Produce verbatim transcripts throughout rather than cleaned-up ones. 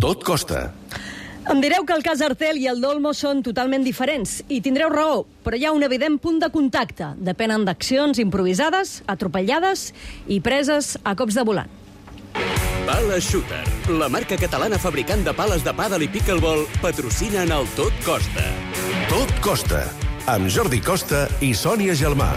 Tot costa. Em direu que el cas Artel i el d'Olmo són totalment diferents, i tindreu raó, però hi ha un evident punt de contacte. Depenen d'accions improvisades, atropellades i preses a cops de volant. Pala Shooter, la marca catalana fabricant de pales de pàdel i pickleball, patrocinen el Tot Costa. Tot costa, amb Jordi Costa i Sònia Gelmà.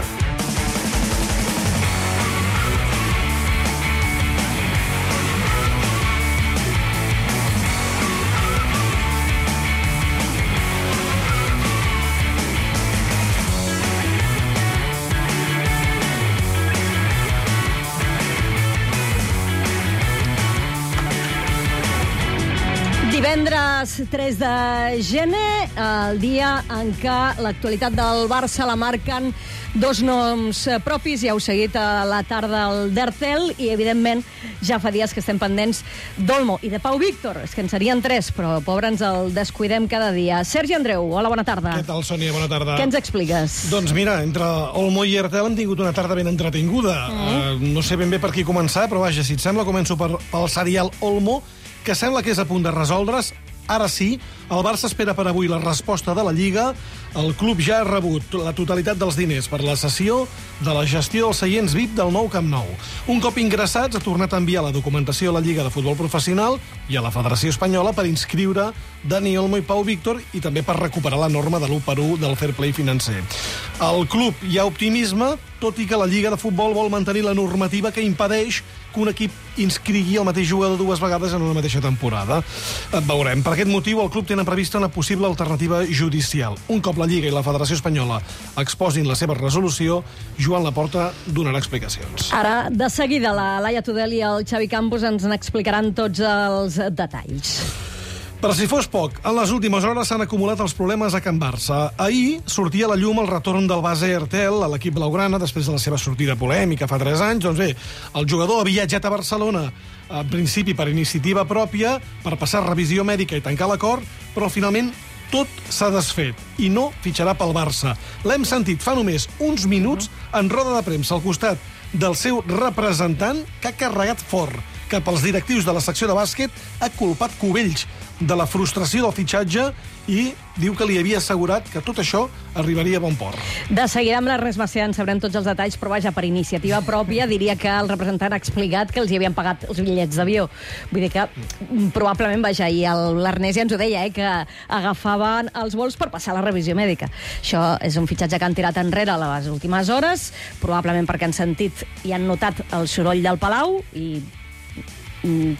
Divendres tres de gener, el dia en què l'actualitat del Barça la marquen dos noms propis. Ja heu seguit a la tarda el d'Artel i, evidentment, ja fa dies que estem pendents d'Olmo i de Pau Víctor. És que en serien tres, però, pobre, ens el descuidem cada dia. Sergi Andreu, hola, bona tarda. Què tal, Sònia? Bona tarda. Què ens expliques? Doncs mira, entre Olmo i Artel hem tingut una tarda ben entretinguda. Mm. Uh, no sé ben bé per qui començar, però vaja, si et sembla, començo per, pel serial Olmo, que sembla que és a punt de resoldre's. Ara sí, el Barça espera per avui la resposta de la Lliga. El club ja ha rebut la totalitat dels diners per la cessió de la gestió dels seients V I P del nou Camp Nou. Un cop ingressats, ha tornat a enviar la documentació a la Lliga de Futbol Professional i a la Federació Espanyola per inscriure Dani Olmo i Pau Víctor i també per recuperar la norma de l'u per u del fair play financer. Al club hi ha optimisme, tot i que la Lliga de Futbol vol mantenir la normativa que impedeix que un equip inscrigui el mateix jugador dues vegades en una mateixa temporada. Veurem. Per aquest motiu, el club tenen prevista una possible alternativa judicial. Un cop la Lliga i la Federació Espanyola exposin la seva resolució, Joan Laporta donarà explicacions. Ara, de seguida, la Laia Tudel i el Xavi Campos ens n'explicaran tots els detalls. Per si fos poc, en les últimes hores s'han acumulat els problemes a Can Barça. Ahir sortia a la llum el retorn del base Artel a l'equip blaugrana després de la seva sortida polèmica fa tres anys. Doncs bé, el jugador ha viatjat a Barcelona, en principi per iniciativa pròpia, per passar revisió mèdica i tancar l'acord, però finalment tot s'ha desfet i no fitxarà pel Barça. L'hem sentit fa només uns minuts en roda de premsa al costat del seu representant, que ha carregat fort cap als directius de la secció de bàsquet, ha culpat Cubells de la frustració del fitxatge i diu que li havia assegurat que tot això arribaria a bon port. De seguida amb l'Ernest Macià en sabrem tots els detalls, però vaja, per iniciativa pròpia diria que el representant ha explicat que els hi havien pagat els bitllets d'avió. Vull dir que probablement, vaja, i l'Ernest ja ens ho deia, eh, que agafaven els vols per passar la revisió mèdica. Això és un fitxatge que han tirat enrere a les últimes hores, probablement perquè han sentit i han notat el soroll del Palau i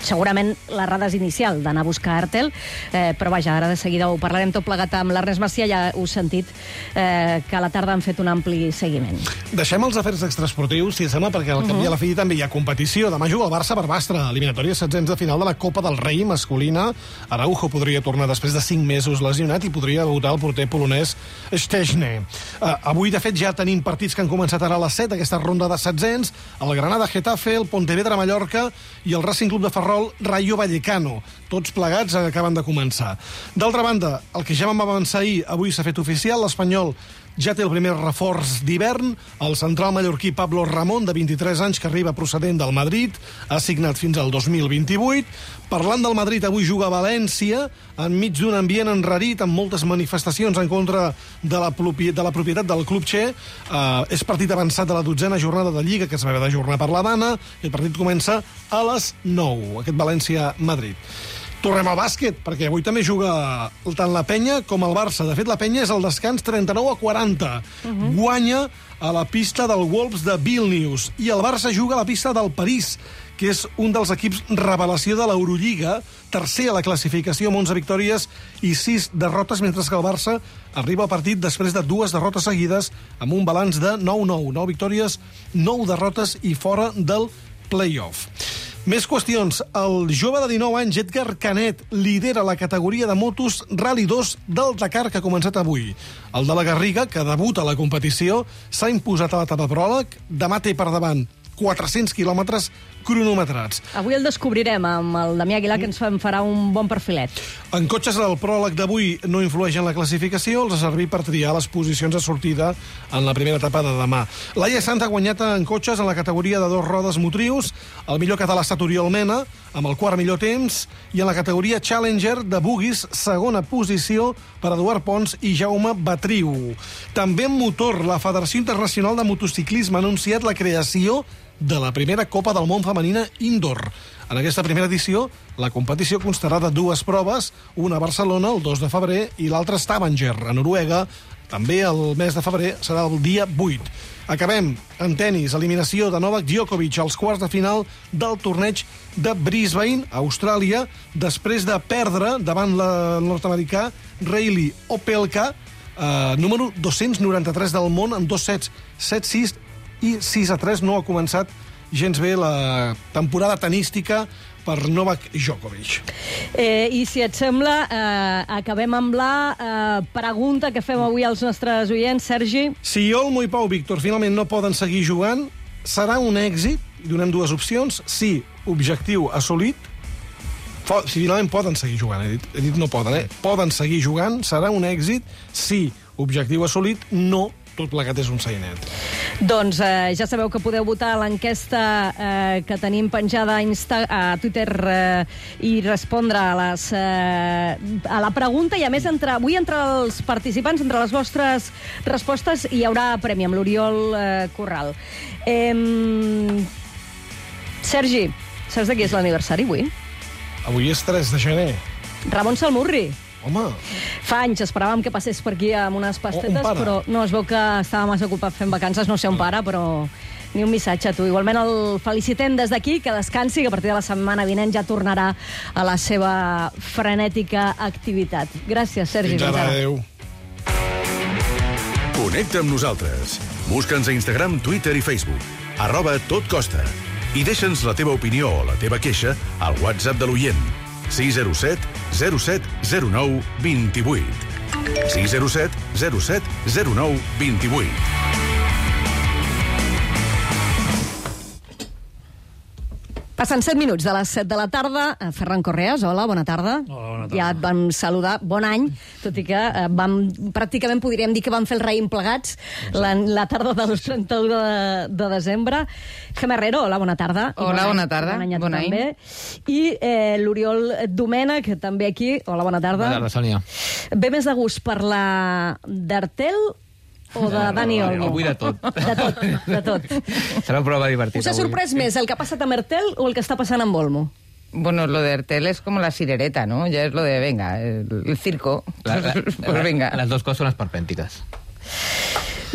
segurament l'errada és inicial d'anar a buscar Artel, eh, però vaja, ara de seguida ho parlarem tot plegat amb l'Ernest Macià. Ja heu sentit eh, que a la tarda han fet un ampli seguiment. Deixem els afers extraesportius, si sembla, perquè al cap i a la fi també hi ha competició. Demà juga el Barça per Bastra, eliminatòria setzents de final de la Copa del Rei masculina. Araujo podria tornar després de cinc mesos lesionat i podria debutar el porter polonès Szczesny. Uh, avui, de fet, ja tenim partits que han començat ara a les set, aquesta ronda de setzents, el Granada-Getafe, el Pontevedra-Mallorca i el Racing Club de Ferrol, Rayo Vallecano. Tots plegats acaben de començar. D'altra banda, el que ja vam avançar ahir, avui s'ha fet oficial, l'Espanyol ja té el primer reforç d'hivern, el central mallorquí Pablo Ramón, de vint-i-tres anys, que arriba procedent del Madrid, ha signat fins al dos mil vint-i-vuit. Parlant del Madrid, avui juga a València, enmig d'un ambient enrarit, amb moltes manifestacions en contra de la, de la propietat del club txè. Uh, és partit avançat de la dotzena jornada de Lliga, que es va haver d'ajornar per la Dana, i el partit comença a les nou, aquest València-Madrid. Tornem al bàsquet, perquè avui també juga tant la Penya com el Barça. De fet, la Penya és al descans trenta-nou a quaranta. Uh-huh. Guanya a la pista del Wolves de Vilnius. I el Barça juga a la pista del París, que és un dels equips revelació de l'Eurolliga, tercer a la classificació amb onze victòries i sis derrotes, mentre que el Barça arriba al partit després de dues derrotes seguides amb un balanç de nou nou. nou victòries, nou derrotes i fora del play-off. Més qüestions. El jove de dinou anys, Edgar Canet, lidera la categoria de motos Rally dos del Dakar, que ha començat avui. El de la Garriga, que debuta a la competició, s'ha imposat a l'etapa pròleg. Demà té per davant quatre-cents quilòmetres cronometrats. Avui el descobrirem amb el Damià Aguilar, que ens en farà un bon perfilet. En cotxes, el pròleg d'avui no influeix en la classificació, els ha servit per triar les posicions de sortida en la primera etapa de demà. Laia Sant ha guanyat en cotxes en la categoria de dos rodes motrius, el millor català ha estat Oriol Mena, amb el quart millor temps, i en la categoria Challenger de Bugis, segona posició per Eduard Pons i Jaume Batriu. També en motor, la Federació Internacional de Motociclisme ha anunciat la creació de la primera Copa del Món femenina indoor. En aquesta primera edició, la competició constarà de dues proves, una a Barcelona el dos de febrer i l'altra a Stavanger, a Noruega. També el mes de febrer serà el dia vuit. Acabem en tennis, eliminació de Novak Djokovic als quarts de final del torneig de Brisbane, a Austràlia, després de perdre davant el nord-americà Reilly Opelka, eh, número dos-cents noranta-tres del món, en dos sets, set sis i sis a tres. No ha començat gens bé la temporada tenística per Novak Djokovic. Eh, I si et sembla, eh, acabem amb la eh, pregunta que fem avui als nostres oients, Sergi. Si Olmo i Pau Víctor finalment no poden seguir jugant, serà un èxit? Donem dues opcions. Sí, objectiu assolit. Si finalment poden seguir jugant, he dit, he dit no poden, eh? Poden seguir jugant, serà un èxit. Sí, objectiu assolit. No, tot plegat és un sainet. Doncs eh, ja sabeu que podeu votar a l'enquesta eh, que tenim penjada a, Insta a Twitter eh, i respondre a, les, eh, a la pregunta, i a més entre, avui entre els participants, entre les vostres respostes, hi haurà premi amb l'Oriol eh, Corral. Eh, Sergi, saps de qui és l'aniversari avui? Avui és tres de gener. Ramon Salmurri. Home. Fa anys esperàvem que passés per aquí amb unes pastetes, oh, però no, es veu que estava massa ocupat fent vacances, no sé on para, però ni un missatge a tu. Igualment el felicitem des d'aquí, que descansi, que a partir de la setmana vinent ja tornarà a la seva frenètica activitat. Gràcies, Sergi. Fins ara, adéu. Connecta amb nosaltres. Busca'ns a Instagram, Twitter i Facebook. Arroba Tot Costa. I deixa'ns la teva opinió o la teva queixa al WhatsApp de l'oient. sis zero set zero set zero nou dos vuit. sis zero set zero set zero nou dos vuit. Passen set minuts de les set de la tarda. Ferran Correas, hola, bona tarda. Hola, bona tarda. Ja et vam saludar, bon any, tot i que eh, vam, pràcticament podríem dir que vam fer el raïm plegats la, la tarda del trenta-u de, de desembre. Gemma Herrero, hola, bona tarda. I Hola, bon bona tarda. Bon any a tu Bon any. també. I eh, l'Oriol Domènech, també aquí. Hola, bona tarda. Bona tarda, Sònia. Ve més de gust parlar d'Artel o de Dani Olmo? Avui de tot. De tot, de tot. Serà una prova divertida. Us ha sorprès més el que ha passat amb Artel o el que està passant amb Olmo? Bueno, lo de Ertel es como la sirereta, ¿no? Ya es lo de, venga, el, el circo. La, la, pues venga. Les dues coses són esperpèntiques.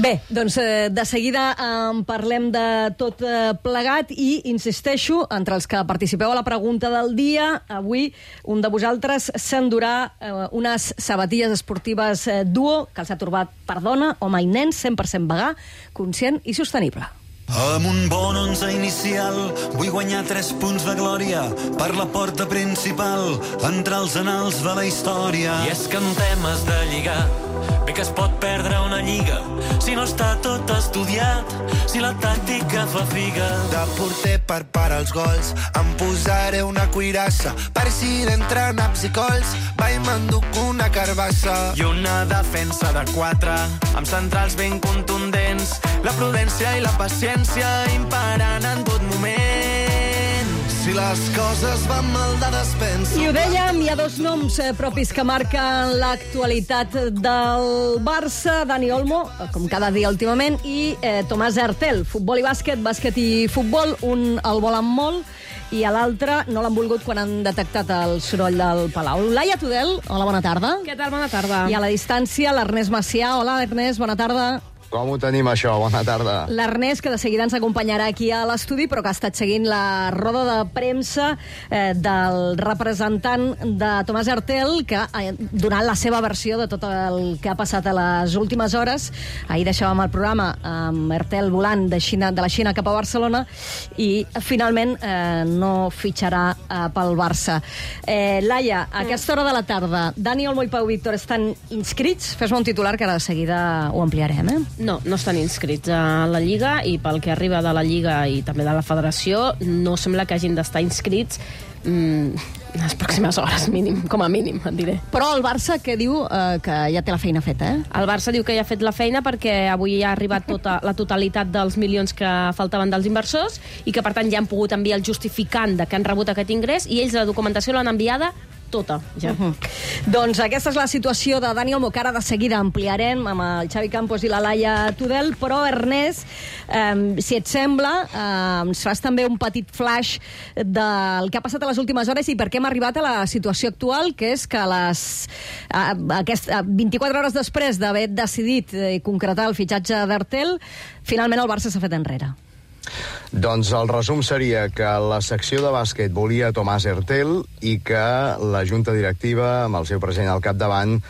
Bé, doncs eh, de seguida en eh, parlem de tot eh, plegat i, insisteixo, entre els que participeu a la pregunta del dia, avui un de vosaltres s'endurà eh, unes sabatilles esportives eh, duo, que els ha trobat per dona, home i nen, cent per cent vegà, conscient i sostenible. Amb un bon onze inicial vull guanyar tres punts de glòria per la porta principal, entre els anals de la història. I és que en temes de lligar bé que es pot perdre una lliga si no està tot estudiat, si la tàctica fa figa. De porter per parar els gols em posaré una cuirassa per si d'entre naps i cols va i m'enduc una carbassa. I una defensa de quatre amb centrals ben contundents, la prudència i la paciència imparant en tot moment. Si les coses van mal de despensa. I ho dèiem, hi ha dos noms eh, propis que marquen l'actualitat del Barça, Dani Olmo, com cada dia últimament, i eh, Tomàs Artel, futbol i bàsquet, bàsquet i futbol, un el volen molt, i a l'altre no l'han volgut quan han detectat el soroll del Palau. Laia Tudel, hola, bona tarda. Què tal, bona tarda? I a la distància, l'Ernest Macià. Hola, Ernest, bona tarda. Com ho tenim, això? Bona tarda. L'Ernest, que de seguida ens acompanyarà aquí a l'estudi, però que ha estat seguint la roda de premsa eh, del representant de Tomàs Artel, que ha donat la seva versió de tot el que ha passat a les últimes hores. Ahir deixàvem el programa amb Artel volant de, Xina, de la Xina cap a Barcelona i finalment eh, no fitxarà eh, pel Barça. Eh, Laia, a aquesta hora de la tarda, Dani Olmo i Pau Víctor estan inscrits? Fes-me un titular que ara de seguida ho ampliarem, eh? No, no estan inscrits a la Lliga i pel que arriba de la Lliga i també de la Federació no sembla que hagin d'estar inscrits mm, les pròximes hores, mínim, com a mínim, et diré. Però el Barça, què diu? Eh, que ja té la feina feta, eh? El Barça diu que ja ha fet la feina perquè avui ja ha arribat tota la totalitat dels milions que faltaven dels inversors i que, per tant, ja han pogut enviar el justificant de que han rebut aquest ingrés i ells la documentació l'han enviada tota, ja. Uh -huh. Doncs aquesta és la situació de Dani Olmo, que ara de seguida ampliarem amb el Xavi Campos i la Laia Tudel, però, Ernest, eh, si et sembla, eh, ens fas també un petit flash del que ha passat a les últimes hores i per què hem arribat a la situació actual, que és que a les a, aquest, a vint-i-quatre hores després d'haver decidit i concretar el fitxatge d'Artel, finalment el Barça s'ha fet enrere. Doncs el resum seria que la secció de bàsquet volia Tomàs Hertel i que la junta directiva, amb el seu president al capdavant,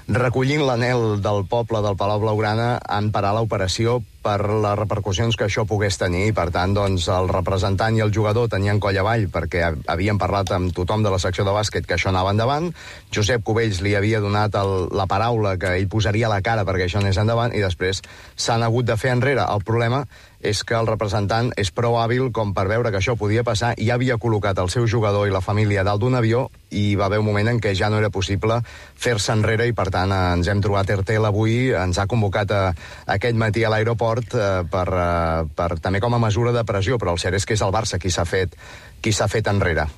recollint l'anel del poble del Palau Blaugrana, han parat l'operació per les repercussions que això pogués tenir. I, per tant, doncs, el representant i el jugador tenien coll avall perquè havien parlat amb tothom de la secció de bàsquet que això anava endavant. Josep Cubells li havia donat el, la paraula que ell posaria la cara perquè això anés endavant i després s'han hagut de fer enrere. El problema és que el representant és prou hàbil com per veure que això podia passar i ja havia col·locat el seu jugador i la família dalt d'un avió i va haver un moment en què ja no era possible fer-se enrere i, per tant, ens hem trobat Hertel avui, ens ha convocat a, a aquest matí a l'aeroport eh, per, eh, per també com a mesura de pressió, però el cert és que és el Barça qui s'ha fet, qui s'ha fet enrere.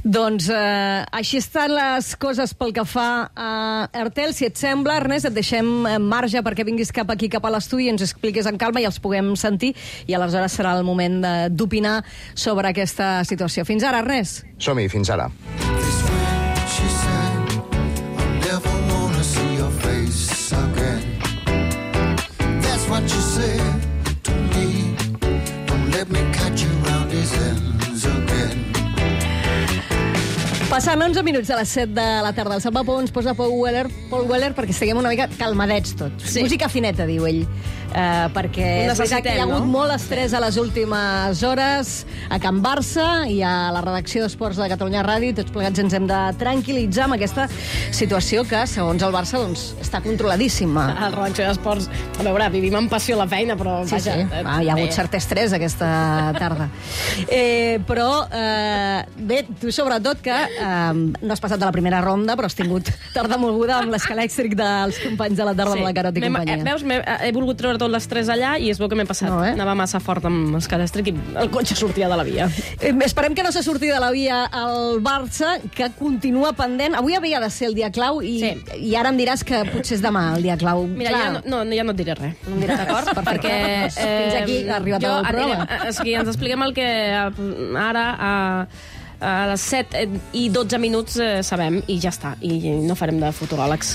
Doncs eh, així estan les coses pel que fa a Hertel. Si et sembla, Ernest, et deixem en marge perquè vinguis cap aquí, cap a l'estudi, i ens expliquis en calma i els puguem sentir, i aleshores serà el moment d'opinar sobre aquesta situació. Fins ara, Ernest. Som-hi, fins ara. Passant onze minuts de les set de la tarda. El Salva Pou ens posa Paul Weller, Paul Weller perquè estiguem una mica calmadets tots. Sí. Música fineta, diu ell. Uh, perquè és veritat que hi ha hagut no? molt estrès a les últimes hores a Can Barça i a la redacció d'Esports de Catalunya Ràdio. Tots plegats ens hem de tranquil·litzar amb aquesta situació que, segons el Barça, doncs, està controladíssima. A la redacció d'Esports, a veure, vivim amb passió la feina, però sí, vaja... Sí. Ah, hi ha hagut cert estrès aquesta tarda. eh, però, eh, bé, tu sobretot que eh, no has passat de la primera ronda, però has tingut tarda moguda amb l'escalèxtric dels companys de la tarda sí. amb la Carot i companyia. Eh, veus, he volgut treure tot l'estrès allà i es veu que m'he passat. No, eh? Anava massa fort amb l'escalèxtric i el cotxe sortia de la via. Eh, esperem que no se surti de la via el Barça, que continua pendent. Avui havia de ser el dia clau i, sí. i ara em diràs que potser és demà el dia clau. Mira, ja no, no, ja no et diré res. No em diré d'acord? Perquè eh, fins aquí ha arribat el programa. Anirem, és que ens expliquem el que ara... Eh, a les set i dotze minuts eh, sabem, i ja està, i no farem de futuròlegs.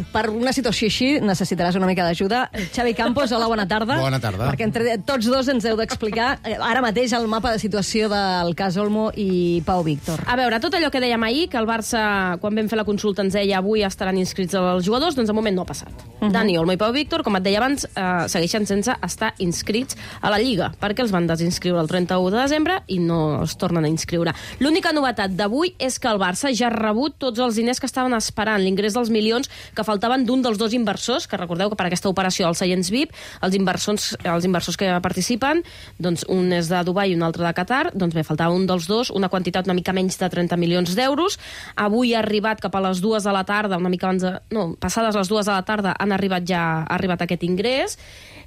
Per una situació així necessitaràs una mica d'ajuda. Xavi Campos, hola, bona tarda. Bona tarda. Perquè entre tots dos ens heu d'explicar eh, ara mateix el mapa de situació del cas Olmo i Pau Víctor. A veure, tot allò que dèiem ahir, que el Barça, quan vam fer la consulta, ens deia avui estaran inscrits els jugadors, doncs de moment no ha passat. Uh -huh. Dani Olmo i Pau Víctor, com et deia abans, eh, segueixen sense estar inscrits a la Lliga, perquè els van desinscriure el trenta-u de desembre i no es tornen a inscriure. L'única novetat d'avui és que el Barça ja ha rebut tots els diners que estaven esperant, l'ingrés dels milions que faltaven d'un dels dos inversors, que recordeu que per aquesta operació als seients V I P, els inversors, els inversors que participen, doncs un és de Dubai i un altre de Qatar, doncs bé, faltava un dels dos, una quantitat una mica menys de trenta milions d'euros. Avui ha arribat cap a les dues de la tarda, una mica abans de... No, passades les dues de la tarda han arribat ja ha arribat aquest ingrés,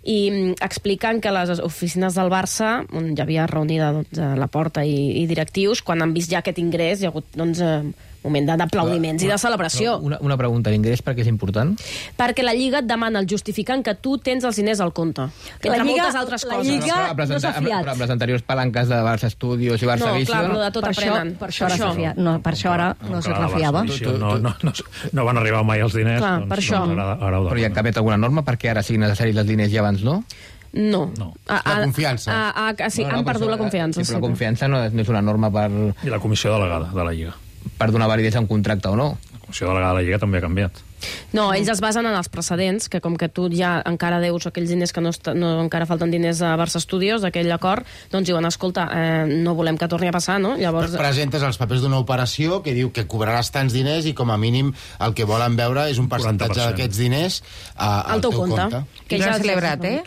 i explicant que les oficines del Barça, on hi havia reunida doncs, a la porta i, i directius, quan han vist ja aquest ingrés, hi ha hagut doncs, moment d'aplaudiments i de celebració. Una, una pregunta, l'ingrés per què és important? Perquè la Lliga et demana el justificant que tu tens els diners al compte. Entre la Lliga, moltes altres la coses. Lliga no, no s'ha fiat. Però amb les anteriors palanques de Barça Studios i Barça no, Vision... No, clar, però de tot per aprenen. Això, per això, això. Ara no, per això ara no, no se refiava. No, no, no, no van arribar mai els diners. Clar, doncs, per això. Doncs ara, ara però hi ha canviat alguna norma perquè ara siguin necessaris els diners i abans no? No. no. A, a, la confiança. A, a, a, sí, no, no, han perdut això, la confiança. Sí, però la confiança no és, no és una norma per... I la comissió delegada de la Lliga. Per donar validesa a un contracte o no? La comissió delegada de la Lliga també ha canviat. No, ells es basen en els precedents, que com que tu ja encara deus aquells diners que no, est- no encara falten diners a Barça Studios, d'aquell acord, doncs diuen, escolta, eh, no volem que torni a passar, no? Llavors... Presentes els papers d'una operació que diu que cobraràs tants diners i com a mínim el que volen veure és un percentatge d'aquests diners a, al, al teu teu compte. compte. Que I ja l'han has celebrat, eh?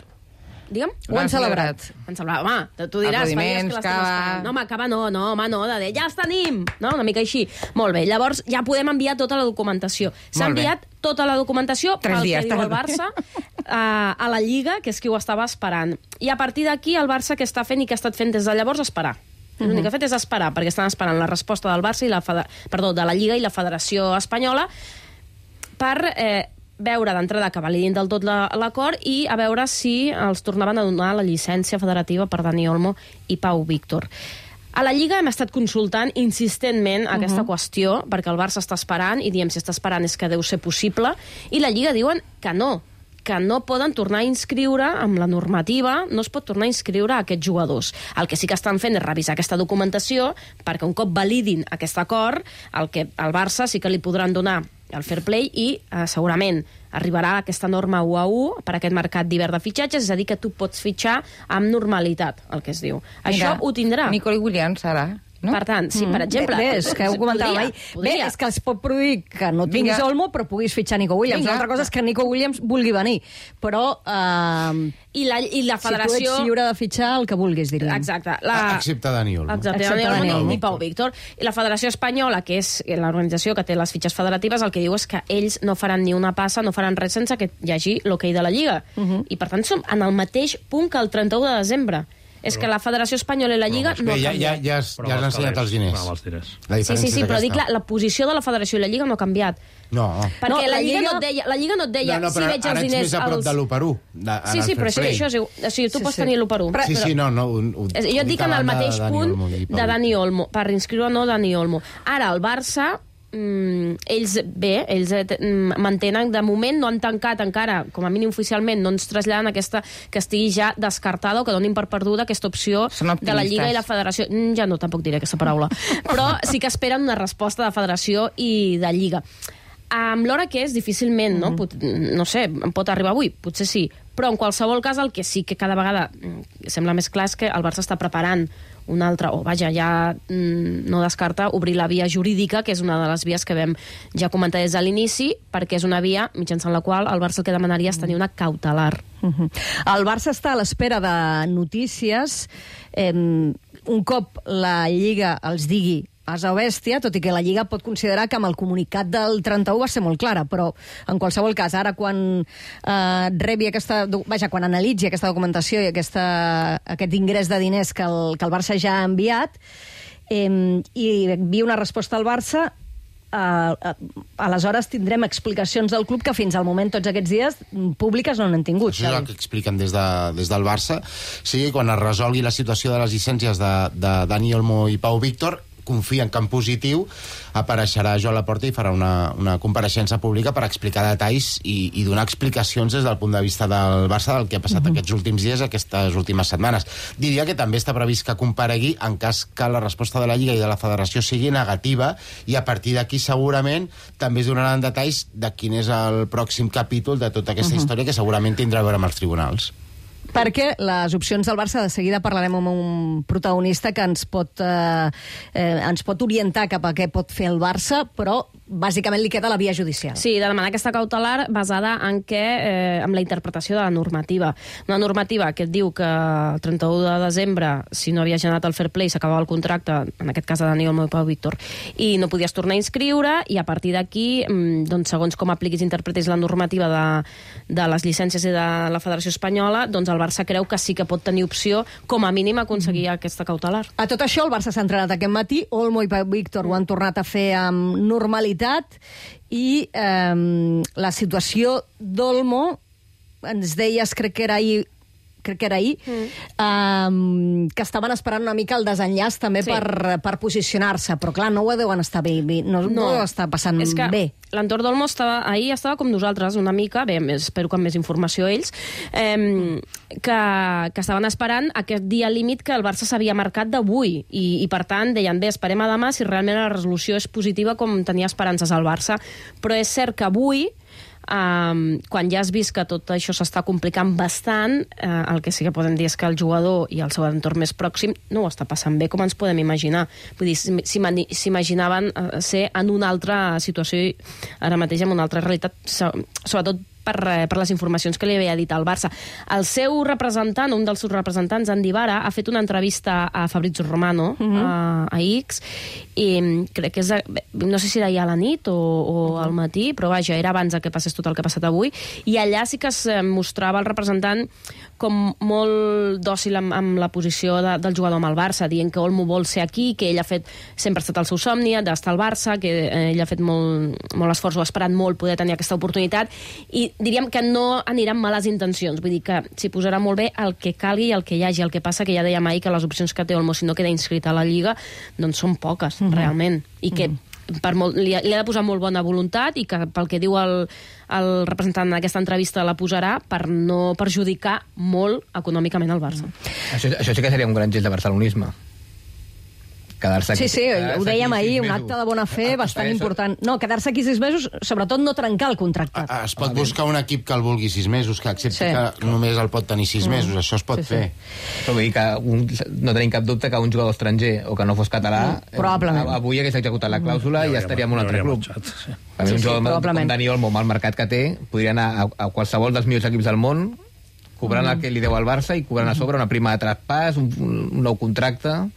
Digue'm? Ho han celebrat. Han celebrat. Home, tu diràs, fa dies que Aplaudiments, l'estem cava. esperant. No, home, cava no, no, home, no, de dir, ja els tenim, no? Una mica així. Molt bé, llavors ja podem enviar tota la documentació. S'ha Molt bé. enviat tota la documentació Tres pel dies que diu el tarda. Barça a, a la Lliga, que és qui ho estava esperant. I a partir d'aquí el Barça que està fent i que ha estat fent des de llavors esperar. L'únic que ha fet és esperar, perquè estan esperant la resposta del Barça i la feder... perdó, de la Lliga i la Federació Espanyola per eh, veure d'entrada que validin del tot la- l'acord i a veure si els tornaven a donar la llicència federativa per Dani Olmo i Pau Víctor. A la Lliga hem estat consultant insistentment aquesta qüestió, perquè el Barça està esperant, i diem si està esperant és que deu ser possible, i la Lliga diuen que no, que no poden tornar a inscriure amb la normativa, no es pot tornar a inscriure a aquests jugadors. El que sí que estan fent és revisar aquesta documentació perquè un cop validin aquest acord, el que al Barça sí que li podran donar el fair play i eh, segurament arribarà aquesta norma u a u per aquest mercat d'hivern de fitxatges, és a dir, que tu pots fitxar amb normalitat, el que es diu. Això ho tindrà. Nicoli Williams, ara. No? Per tant, si, per exemple... Bé, és que ho comentava mai. Bé, és que es pot produir que no tinguis Vinga. Olmo, però puguis fitxar Nico Williams. Vinga. Una altra cosa és que Nico Williams vulgui venir. Però... Eh, I la, i la si tu federació... ets lliure de fitxar el que vulguis, diríem. Exacte. La... Excepte Dani Olmo. Exacte, Excepte Dani Dani Olmo Olmo. i Pau Víctor. I la Federació Espanyola, que és l'organització que té les fitxes federatives, el que diu és que ells no faran ni una passa, no faran res sense que hi hagi l'hoquei de la Lliga. I, per tant, som en el mateix punt que el trenta-u de desembre. És que la Federació Espanyola i la Lliga no Bé, ja, ja, canviat. ja, has- ja has ensenyat els diners. La Sí, sí, diferència sí, és però dic, la, aquesta. la posició de la Federació i la Lliga no ha canviat. No. Perquè No, la, la Lliga Lliga- no et deia, la Lliga no et deia No, no, si però veig els ara ets diners... més a prop als- de l'u per u. de- en Sí, el sí, però fair això, play. això és igual. O sigui, tu Sí, pots sí. tenir l'u per u. Sí, sí, no, no. Ho, ho, És- Jo ho dic en el davant de mateix Dani punt Olmo i Pau de Dani Víctor. Olmo, per inscriure no Dani Olmo. Ara, el Barça, mm, ells, bé, ells eh, t- mm, mantenen, de moment no han tancat encara, com a mínim oficialment, no ens traslladen aquesta, que estigui ja descartada o que donin per perduda aquesta opció de la Lliga i la Federació. Mm, ja no, tampoc diré aquesta paraula. Però sí que esperen una resposta de Federació i de Lliga. Amb l'hora que és, difícilment, no? Pot, no sé, pot arribar avui, potser sí. Però en qualsevol cas, el que sí que cada vegada mm, sembla més clar és que el Barça està preparant una altra, o vaja, ja mm, no descarta obrir la via jurídica, que és una de les vies que vam ja comentar des de l'inici, perquè és una via mitjançant la qual el Barça el que demanaria és tenir una cautelar. Mhm. El Barça està a l'espera de notícies. Eh, un cop la Lliga els digui asa o bèstia, tot i que la Lliga pot considerar que amb el comunicat del trenta-u va ser molt clara, però en qualsevol cas, ara quan eh, rebi aquesta... do- Vaja, quan analitzi aquesta documentació i aquesta, aquest ingrés de diners que el, que el Barça ja ha enviat, eh, i envia una resposta al Barça, Uh, uh, aleshores tindrem explicacions del club que fins al moment tots aquests dies mm, públiques no n'han tingut. Això és el que expliquen des, de, des del Barça. Sí, quan es resolgui la situació de les llicències de, de Dani Olmo i Pau Víctor, confien que en positiu apareixerà Joan Laporta i farà una, una compareixença pública per explicar detalls i, i donar explicacions des del punt de vista del Barça del que ha passat uh -huh. aquests últims dies, aquestes últimes setmanes. Diria que també està previst que comparegui en cas que la resposta de la Lliga i de la Federació sigui negativa, i a partir d'aquí segurament també es donaran detalls de quin és el pròxim capítol de tota aquesta uh -huh. història, que segurament tindrà a veure amb els tribunals. Perquè les opcions del Barça, de seguida parlarem amb un protagonista que ens pot, eh, eh, ens pot orientar cap a què pot fer el Barça, però bàsicament li queda la via judicial. Sí, de demanar aquesta cautelar basada en què, eh, amb la interpretació de la normativa. Una normativa que et diu que el trenta-u de desembre, si no havia generat el fair play, s'acabava el contracte, en aquest cas de Dani Olmo i Pau Víctor, i no podies tornar a inscriure, i a partir d'aquí, mm, doncs, segons com apliquis i interpretis la normativa de, de les llicències i de la Federació Espanyola, doncs el Barça creu que sí que pot tenir opció, com a mínim, a aconseguir mm. aquesta cautelar. A tot això, el Barça s'ha entrenat aquest matí, Olmo i Pau Víctor ho han tornat a fer amb normalitat, i eh, la situació d'Olmo, ens deies, crec que era ahir, crec que era ahir, mm. eh, que estaven esperant una mica el desenllaç també Sí. per, per posicionar-se, però clar, no ho deuen estar bé, bé no, no. no ho està passant és que bé. L'entorn d'Olmo estava, ahir estava com nosaltres, una mica, bé, espero que amb més informació ells, eh, que, que estaven esperant aquest dia límit que el Barça s'havia marcat d'avui, i, i per tant deien, bé, esperem a demà si realment la resolució és positiva com tenia esperances al Barça, però és cert que avui Um, quan ja has vist que tot això s'està complicant bastant, uh, el que sí que podem dir és que el jugador i el seu entorn més pròxim no ho està passant bé, com ens podem imaginar. Vull dir, s'imaginaven uh, ser en una altra situació, ara mateix en una altra realitat, sobretot per, per les informacions que li havia dit al Barça. El seu representant, un dels seus representants, Andy Vara, ha fet una entrevista a Fabrizio Romano, uh-huh. a, a X, i crec que és, no sé si era ja a la nit o, o al matí, però vaja, era abans que passés tot el que ha passat avui, i allà sí que es mostrava el representant com molt dòcil amb, amb la posició de, del jugador amb el Barça, dient que Olmo vol ser aquí, que ell ha fet, sempre ha estat el seu somni d'estar al Barça, que eh, ell ha fet molt, molt esforç, o ha esperat molt poder tenir aquesta oportunitat, i diríem que no anirà amb males intencions, vull dir que s'hi posarà molt bé el que calgui i el que hi hagi. El que passa que ja dèiem ahir que les opcions que té Olmo si no queda inscrit a la Lliga doncs són poques, mm-hmm. realment, i que mm-hmm. per molt, li, ha, li ha de posar molt bona voluntat, i que pel que diu el, el representant d'aquesta entrevista la posarà per no perjudicar molt econòmicament el Barça. Això, això sí que seria un gran gest de barcelonisme. Quedar-se aquí, sí, sí, quedar ho dèiem ahir, un mesos. acte de bona fe bastant Això. important. No, quedar-se aquí sis mesos, sobretot no trencar el contracte. Es pot buscar un equip que el vulgui sis mesos, que accepti Sí. que només el pot tenir sis Mm. mesos, això es pot Sí, sí. fer. Però vull dir que un, no tenim cap dubte que un jugador estranger o que no fos català Mm, probablement. eh, avui hagués executat la clàusula Mm. i ja estaria en un altre club. Marxat, sí. A mi Sí, un sí, jugador probablement. com Dani Olmo, amb el mercat que té, podria anar a, a qualsevol dels millors equips del món, cobrant Mm. el que li deu al Barça i cobrant a sobre una prima de traspàs, un, un nou contracte.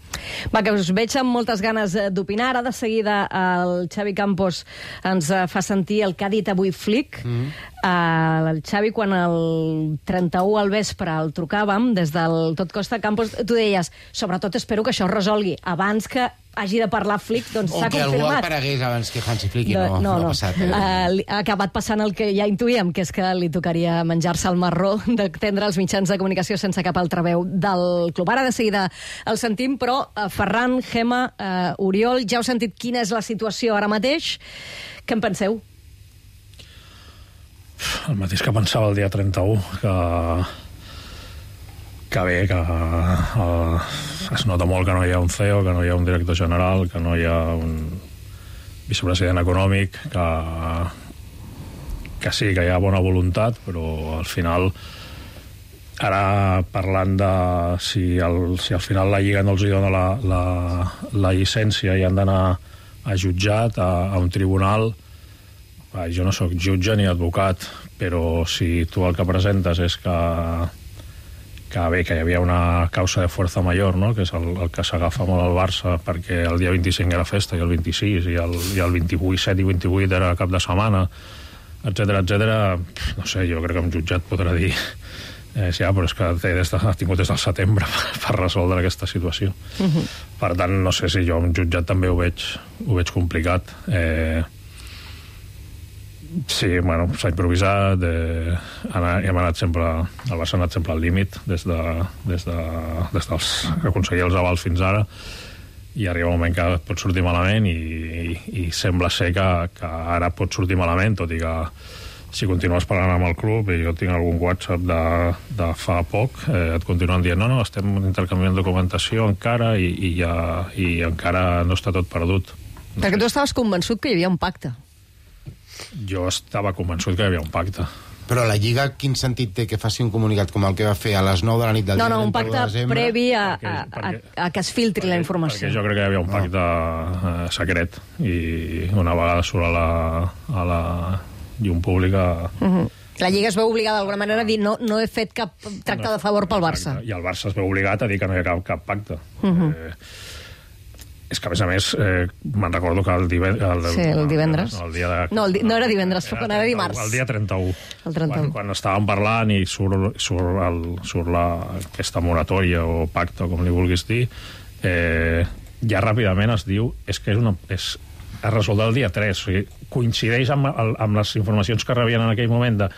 Va, que us veig amb moltes ganes eh, d'opinar. Ara de seguida el Xavi Campos ens eh, fa sentir el que ha dit avui Flick. Mm. Uh, el Xavi, quan el trenta-u al vespre el trucàvem des del Tot Costa Campos, tu deies, sobretot espero que això es resolgui abans que hagi de parlar Flick, doncs O s'ha que algú confirmat. aparegués abans que Hansi Flick, i De- no, no, no. ha passat. Eh? Uh, ha acabat passant el que ja intuïem, que és que li tocaria menjar-se el marró d'atendre els mitjans de comunicació sense cap altra veu del club. Ara de seguida el sentim, però uh, Ferran, Gemma, uh, Oriol, ja heu sentit quina és la situació ara mateix. Què en penseu? El mateix que pensava el dia trenta-u, que, que bé, que uh, es nota molt que no hi ha un C E O, que no hi ha un director general, que no hi ha un vicepresident econòmic, que, que sí, que hi ha bona voluntat, però al final, ara parlant de si, el, si al final la Lliga no els hi dona la, la, la llicència i han d'anar a jutjat, a, a un tribunal. Va, jo no sóc jutge ni advocat, però si tu el que presentes és que, que bé, que hi havia una causa de fuerza mayor, no? Que és el, el que s'agafa molt al Barça, perquè el dia vint-i-cinc era festa i el vint-i-sis i el, i el vint-i-vuit, set i vint-i-vuit era cap de setmana, etcètera, etcètera. No sé, jo crec que un jutjat podrà dir eh, sí, ja, però és que té des de, ha tingut des del setembre per, per resoldre aquesta situació. Uh-huh. Per tant, no sé si jo un jutjat també ho veig, ho veig complicat. Eh, Sí, bueno, s'ha improvisat, eh, hem anat sempre, el Barça ha anat sempre al límit des de, des de, des dels aconseguir els avals fins ara, i arriba un moment que pot sortir malament i, i, i sembla ser que, que ara pot sortir malament, tot i que si continues parlant amb el club, i jo tinc algun WhatsApp de, de fa poc, eh, et continuen dient, no, no, estem intercanviant documentació encara i, i, ja, i encara no està tot perdut. No Perquè sé. tu estaves convençut que hi havia un pacte. Jo estava convençut que hi havia un pacte. Però la Lliga, quin sentit té que faci un comunicat com el que va fer a les nou de la nit del No, dia no, un trenta-u de pacte desembre? previ a, a, Perquè- a, perquè- a que es filtri la informació. Perquè jo crec que hi havia un pacte eh, secret, i una vegada surt a la, a la llum pública... Uh-huh. La Lliga es veu obligada d'alguna manera a dir no, no he fet cap tracte de favor pel Barça. I el Barça es veu obligat a dir que no hi ha cap, cap pacte. Uh-huh. eh, és que, a més a més, eh, me'n recordo que el, diven, el, Sí, el divendres. El dia de, No, el di no era divendres, era, era dimarts. El dia trenta-u. El trenta-u. Quan, quan estàvem parlant i surt, surt, el, surt la, aquesta moratòria o pacte, com li vulguis dir, eh, ja ràpidament es diu és que és una, és, es resol el dia tres. O sigui, coincideix amb, el, amb les informacions que rebien en aquell moment de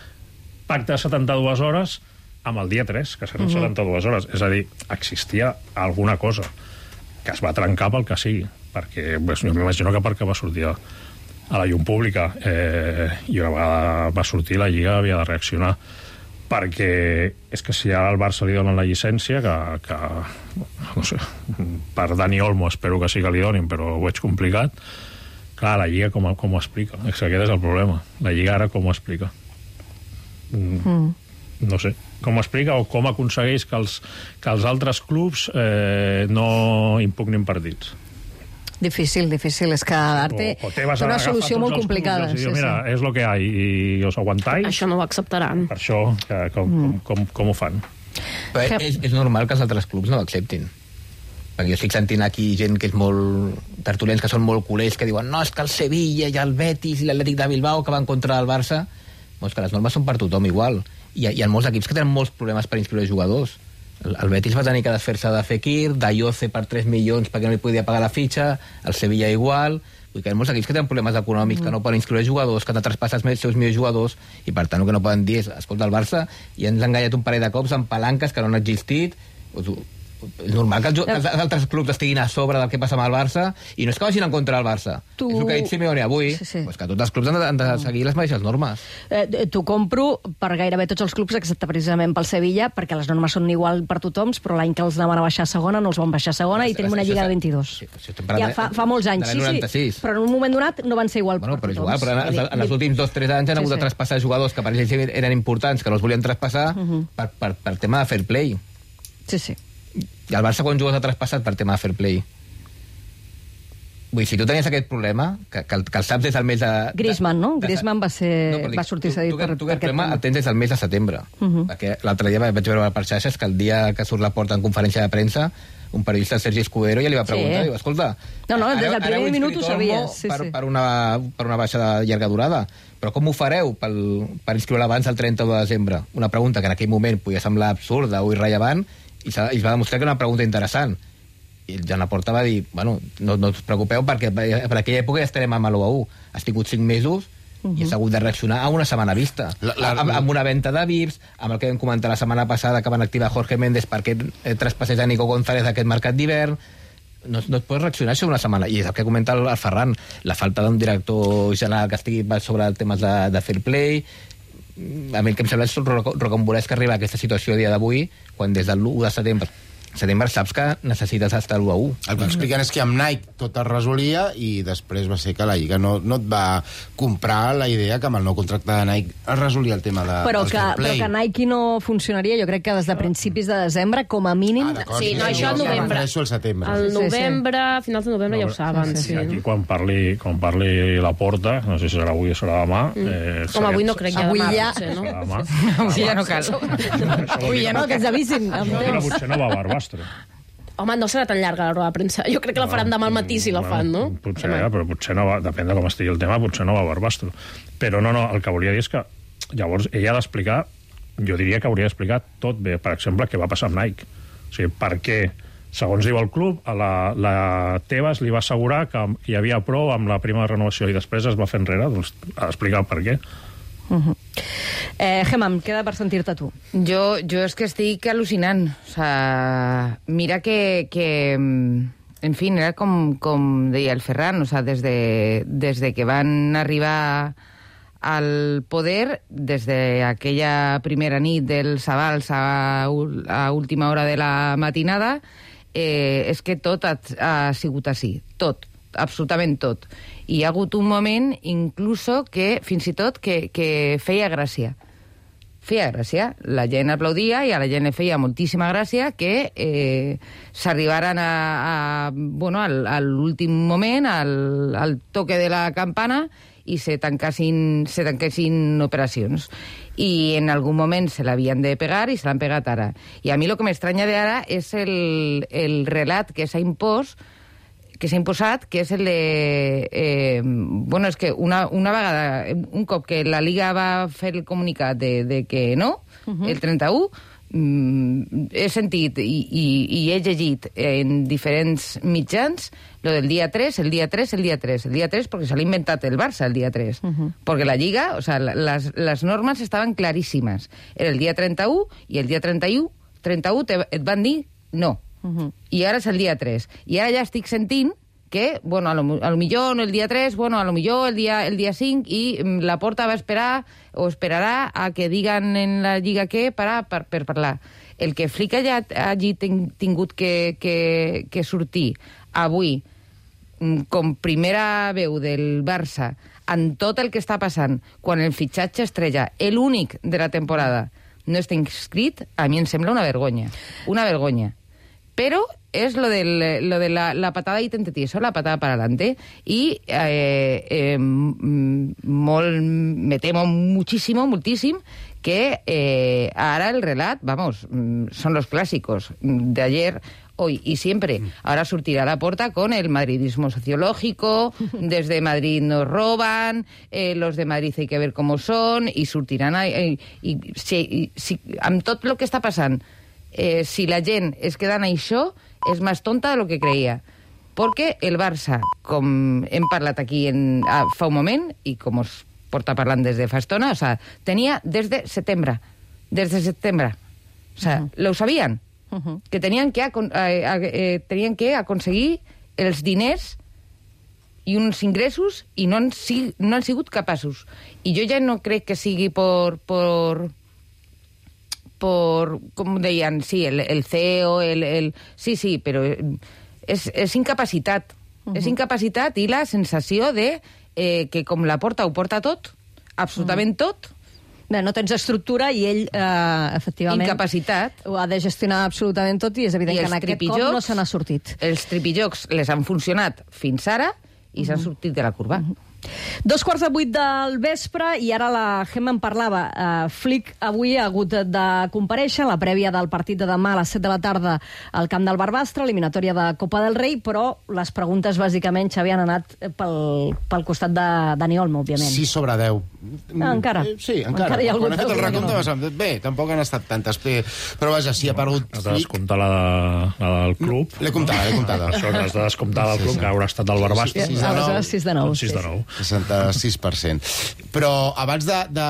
pacte de setanta-dues hores amb el dia tres, que seran uh-huh. setanta-dues hores. És a dir, existia alguna cosa que es va trencar pel que sigui, perquè pues, jo m'imagino que perquè va sortir a, a la llum pública, eh, i una vegada va sortir la Lliga havia de reaccionar, perquè és que si ara al Barça li donen la llicència, que, que no sé, per Dani Olmo espero que sí que li donin, però ho veig complicat, Clar, la Lliga com, com ho explica? És que aquest és el problema. La Lliga ara com ho explica? Mm. Mm. No sé. Com ho explica o com aconsegueix que els, que els altres clubs eh, no impugnin partits? Difícil, difícil. És que Arte o, o té una solució molt complicada. Clubs, sí, mira, sí. És lo que hi ha i us aguantais. Això no ho acceptaran. Per això, que, com, mm. com, com, com ho fan? Però és, és normal que els altres clubs no ho acceptin. Perquè jo estic sentint aquí gent que és molt... tertulians que són molt culers, que diuen no, és que el Sevilla i el Betis i l'Atlètic de Bilbao que van contra el Barça... Doncs que les normes són per tothom igual. Hi ha, hi ha molts equips que tenen molts problemes per inscriure jugadors. El, el Betis va tenir que desfer-se de Fekir, d'Ayoce per tres milions perquè no li podia pagar la fitxa, el Sevilla igual... Vull dir que hi ha molts equips que tenen problemes econòmics, mm. que no poden inscriure jugadors, que han de traspassar els seus millors jugadors, i per tant el que no poden dir és, escolta, el Barça ja ens ha enganyat un parell de cops amb palanques que no han existit... És normal que els, que els altres clubs estiguin a sobre del que passa amb el Barça, i no és que vagin en contra del Barça. Tu... És el que ha dit Simeone avui, sí, sí. Pues que tots els clubs han de, han de seguir les mateixes normes. Eh, T'ho compro per gairebé tots els clubs, excepte precisament pel Sevilla, perquè les normes són igual per tothom, però l'any que els van a baixar a segona no els van baixar a segona, i tenim una lliga de vint-i-dos. Sí, ja fa, fa molts anys, sí, sí, però en un moment donat no van ser igual bueno, per però tothom. Igual, però en, en els últims dos o tres anys han hagut sí, sí. de traspassar jugadors que per ells eren importants, que no els volien traspassar, uh -huh. per, per, per tema de fair play. Sí, sí. I el Barça quan jugues ha traspassat per tema de fair play. Vull dir, si tu tenies aquest problema, que, que, el, que el saps des del mes de... Griezmann, no? De, Griezmann va, ser, no, va sortir cedit per, tu, tu, per aquest problema. El tens des del mes de setembre. Uh -huh. Perquè l'altre dia vaig veure per xarxes que el dia que surt la porta en conferència de premsa, un periodista, Sergi Escudero, ja li va preguntar, sí. Diu, escolta... No, no, des del primer minut ho sabies. Sí, per, sí. per, una, per una baixa de llarga durada. Però com ho fareu pel, per inscriure abans del trenta-u de desembre? Una pregunta que en aquell moment podia semblar absurda o irrellevant, i es va demostrar que era una pregunta interessant. I el Joan Laporta va dir, bueno, no, no us preocupeu perquè per aquella època ja estarem a l'u a u. Has tingut cinc mesos uh -huh. i has hagut de reaccionar a una setmana vista. La, la, amb, amb una venda de V I Ps, amb el que vam comentar la setmana passada que van activar Jorge Méndez perquè eh, traspassés a Nico González d'aquest mercat d'hivern. No, no et pots reaccionar això una setmana. I és el que comenta el, el Ferran, la falta d'un director general que estigui sobre temes de, de fair play. A mi el que em sembla és rocambolesc que arriba a aquesta situació a dia d'avui, quan des del l'u de setembre setembre saps que necessites estar a l'u a u. El que expliquen és que amb Nike tot es resolia i després va ser que la Lliga no, no et va comprar la idea que amb el nou contracte de Nike es resolia el tema de, però del que, fair play. Però que Nike no funcionaria, jo crec que des de principis de desembre, com a mínim... Ah, sí, no, això al novembre. Al setembre. Al novembre, a finals de novembre, no, ja ho saben. Sí, sí, sí. Aquí quan parli, quan parli la Porta, no sé si serà avui o serà demà... Mm. Eh, Home, avui no crec que avui demà, ja... potser, no? Avui ja no cal. Avui ja no, que ens avisin. Potser no va a Barbastre. Home, no serà tan llarga la roda de premsa. Jo crec que la faran demà al matí si la fan, no? Potser, ja, però potser no va, depèn de com estigui el tema, potser no va a Barbastro. Però no, no, el que volia dir és que llavors ella ha d'explicar, jo diria que hauria d'explicar tot bé, per exemple, què va passar amb Nike. O sigui, per què, segons diu el club, a la, la Tebas li va assegurar que hi havia prou amb la prima de renovació i després es va fer enrere, doncs ha d'explicar per què. Uh -huh. eh, Gemma, em queda per sentir-te tu. Jo, jo és que estic al·lucinant. O sea, mira que, que... En fi, era com, com deia el Ferran, o sea, des de, des de que van arribar al poder, des d'aquella primera nit dels avals a, a última hora de la matinada, eh, és que tot ha, ha sigut així. Tot. Absolutament tot. I hi ha hagut un moment, incluso, que fins i tot que, que feia gràcia. Feia gràcia. La gent aplaudia i a la gent li feia moltíssima gràcia que eh, s'arribaren a, a, bueno, al, a l'últim moment, al, al toque de la campana, i se tancassin, se tanquessin operacions. I en algun moment se l'havien de pegar i se l'han pegat ara. I a mi el que m'estranya d'ara és el, el relat que s'ha impost que s'ha imposat, que és el de... Eh, bueno, és que una, una vegada, un cop que la Liga va fer el comunicat de, de que no, uh-huh. el trenta-u, mm, he sentit i, i, i he llegit en diferents mitjans lo del dia tres, el dia tres, el dia tres, el dia tres, perquè se l'ha inventat el Barça el dia tres. Uh-huh. Perquè la Lliga, o sea, les, les normes estaven claríssimes. Era el dia trenta-u i el dia trenta-u, trenta-u te, et van dir no. Uh-huh. I ara és el dia tres. I ara ja estic sentint que, bueno, a lo, a lo millor no el dia tres, bueno, a lo millor el dia, el dia cinc, i la Porta va esperar o esperarà a que digan en la Lliga què per, per, per parlar. El que Flick ja hagi tingut que, que, que sortir avui com primera veu del Barça en tot el que està passant, quan el fitxatge estrella, l'únic de la temporada, no està inscrit, a mi em sembla una vergonya. Una vergonya. Però és lo, del, lo de la, la patada y tentatizo, la patada para adelante. Y eh, eh, molt, me temo muchísimo, muchísimo, que eh, ahora el relat, vamos, son los clásicos de ayer, hoy y siempre. Ahora surtirá la Porta con el madridismo sociológico, desde Madrid nos roban, eh, los de Madrid hay que ver cómo son, y surtirán... Eh, i, si, i, si, amb tot el que està passant, eh, si la gent es queda en això, és més tonta de lo que creia. Perquè el Barça, com hem parlat aquí en, ah, fa un moment, i com us porta parlant des de fa estona, o sea, tenia des de setembre. Des de setembre. O sea, uh-huh. lo sabien. Uh-huh. Que tenien que, eh, eh, tenien que aconseguir els diners i uns ingressos i no han, si, no han sigut capaços. I jo ja no crec que sigui por... por por, com deien, sí, el, el C E O, el, el... Sí, sí, però és, és incapacitat. Uh-huh. És incapacitat i la sensació de eh, que com la Porta ho porta tot, absolutament uh-huh. tot. Bé, no tens estructura i ell, eh, efectivament... Incapacitat. Ho ha de gestionar absolutament tot i és evident I que en aquest cop no se n'ha sortit. Els tripijocs les han funcionat fins ara i uh-huh. s'han sortit de la curva. Uh-huh. Dos quarts de vuit del vespre i ara la Gemma en parlava. Uh, Flick avui ha hagut de comparèixer la prèvia del partit de demà a les set de la tarda al camp del Barbastre, eliminatòria de Copa del Rei, però les preguntes bàsicament, Xavi, han anat pel, pel costat de Dani Olmo, òbviament. sis sobre deu. Ah, encara. Eh, sí, encara. encara hi ha Quan ha fet el recompte, no. bé, tampoc han estat tantes. Però vaja, si ha perdut Has de descomptar la, de, la del club. L'he comptada, l'he comptada. Això que has de descomptar del club, que haurà estat del Barbastre. sis de nou. sis de nou. seixanta-sis per cent. Però abans de, de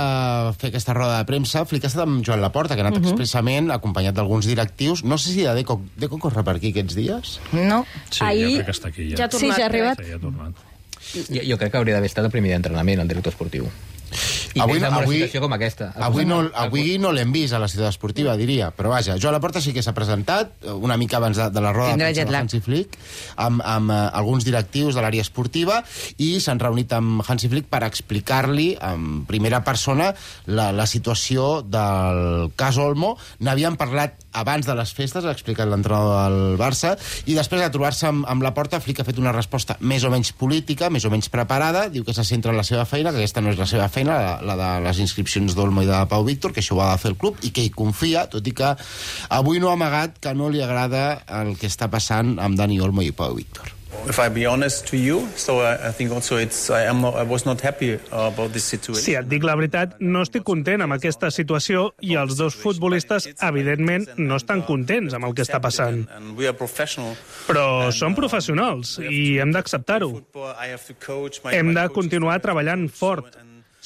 fer aquesta roda de premsa, Flick ha estat amb Joan Laporta, que ha anat uh-huh. expressament acompanyat d'alguns directius. No sé si de Deco, Deco corre per aquí aquests dies? No. Sí, Ahir... jo crec que està aquí. Ja, ja ha tornat. Sí, ja ha arribat. Sí, ja ha tornat. Jo, jo crec que hauria d'haver estat el primer d'entrenament, el director esportiu. I avui, més amb avui, una situació com aquesta. Avui no, avui no l'hem vist a la ciutat esportiva, diria, però vaja, Joan Laporta sí que s'ha presentat una mica abans de, de la roda de Hansi Flick amb, amb uh, alguns directius de l'àrea esportiva i s'han reunit amb Hansi Flick per explicar-li en primera persona la, la situació del cas Olmo. N'havien parlat abans de les festes, ha explicat l'entrenador del Barça, i després de trobar-se amb, amb Laporta, Flick ha fet una resposta més o menys política, més o menys preparada, diu que se centra en la seva feina, que aquesta no és la seva feina, la, la de les inscripcions d'Olmo i de Pau Víctor, que això ho ha de fer el club, i que hi confia, tot i que avui no ha amagat que no li agrada el que està passant amb Dani Olmo i Pau Víctor. If I be honest to you, so I think also it's I am not, I was not happy about this situation. Si et dic la veritat, no estic content amb aquesta situació i els dos futbolistes, evidentment, no estan contents amb el que està passant. Però som professionals i hem d'acceptar-ho. Hem de continuar treballant fort.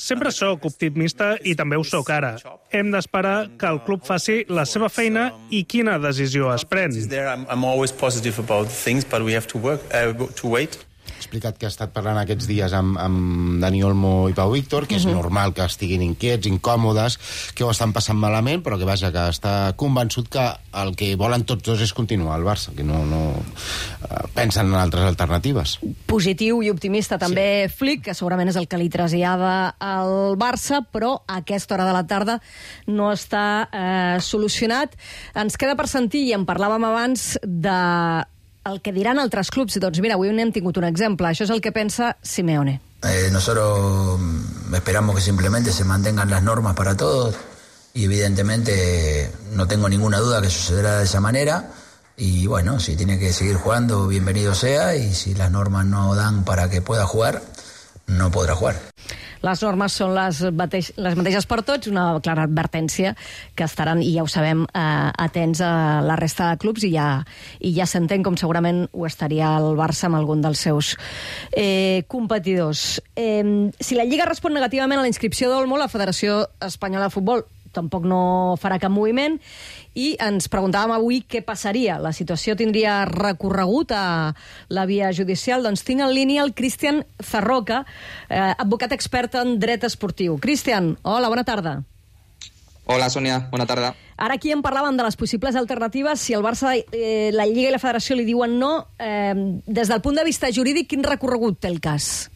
Sempre sóc optimista i també ho sóc ara. Hem d'esperar que el club faci la seva feina i quina decisió es pren. I'm always positive about things, but we have to work uh, to wait. Ha explicat que ha estat parlant aquests dies amb, amb Dani Olmo i Pau Víctor, que és uh-huh. normal que estiguin inquiets, incòmodes, que ho estan passant malament, però que vaja, que està convençut que el que volen tots dos és continuar al Barça, que no, no uh, pensen en altres alternatives. Positiu i optimista també sí. Flick, que segurament és el que li trasllada al Barça, però a aquesta hora de la tarda no està eh, solucionat. Ens queda per sentir, i en parlàvem abans, de el que diran altres clubs. Doncs mira, avui n'hem tingut un exemple. Això és el que pensa Simeone. Eh, nosotros esperamos que simplemente se mantengan las normas para todos y evidentemente no tengo ninguna duda que sucederá de esa manera y bueno, si tiene que seguir jugando, bienvenido sea, y si las normas no dan para que pueda jugar, no podrà jugar. Les normes són les, mateix, les mateixes per tots, una clara advertència que estaran, i ja ho sabem, eh, atents a la resta de clubs, i ja, i ja s'entén com segurament ho estaria el Barça amb algun dels seus eh, competidors. Eh, si la Lliga respon negativament a la inscripció d'Olmo, la Federació Espanyola de Futbol tampoc no farà cap moviment, i ens preguntàvem avui què passaria. La situació tindria recorregut a la via judicial? Doncs tinc en línia el Cristian Zarroca, eh, advocat expert en dret esportiu. Cristian, hola, bona tarda. Hola, Sònia, bona tarda. Ara aquí en parlàvem de les possibles alternatives. Si el Barça, eh, la Lliga i la Federació li diuen no, eh, des del punt de vista jurídic, quin recorregut té el cas?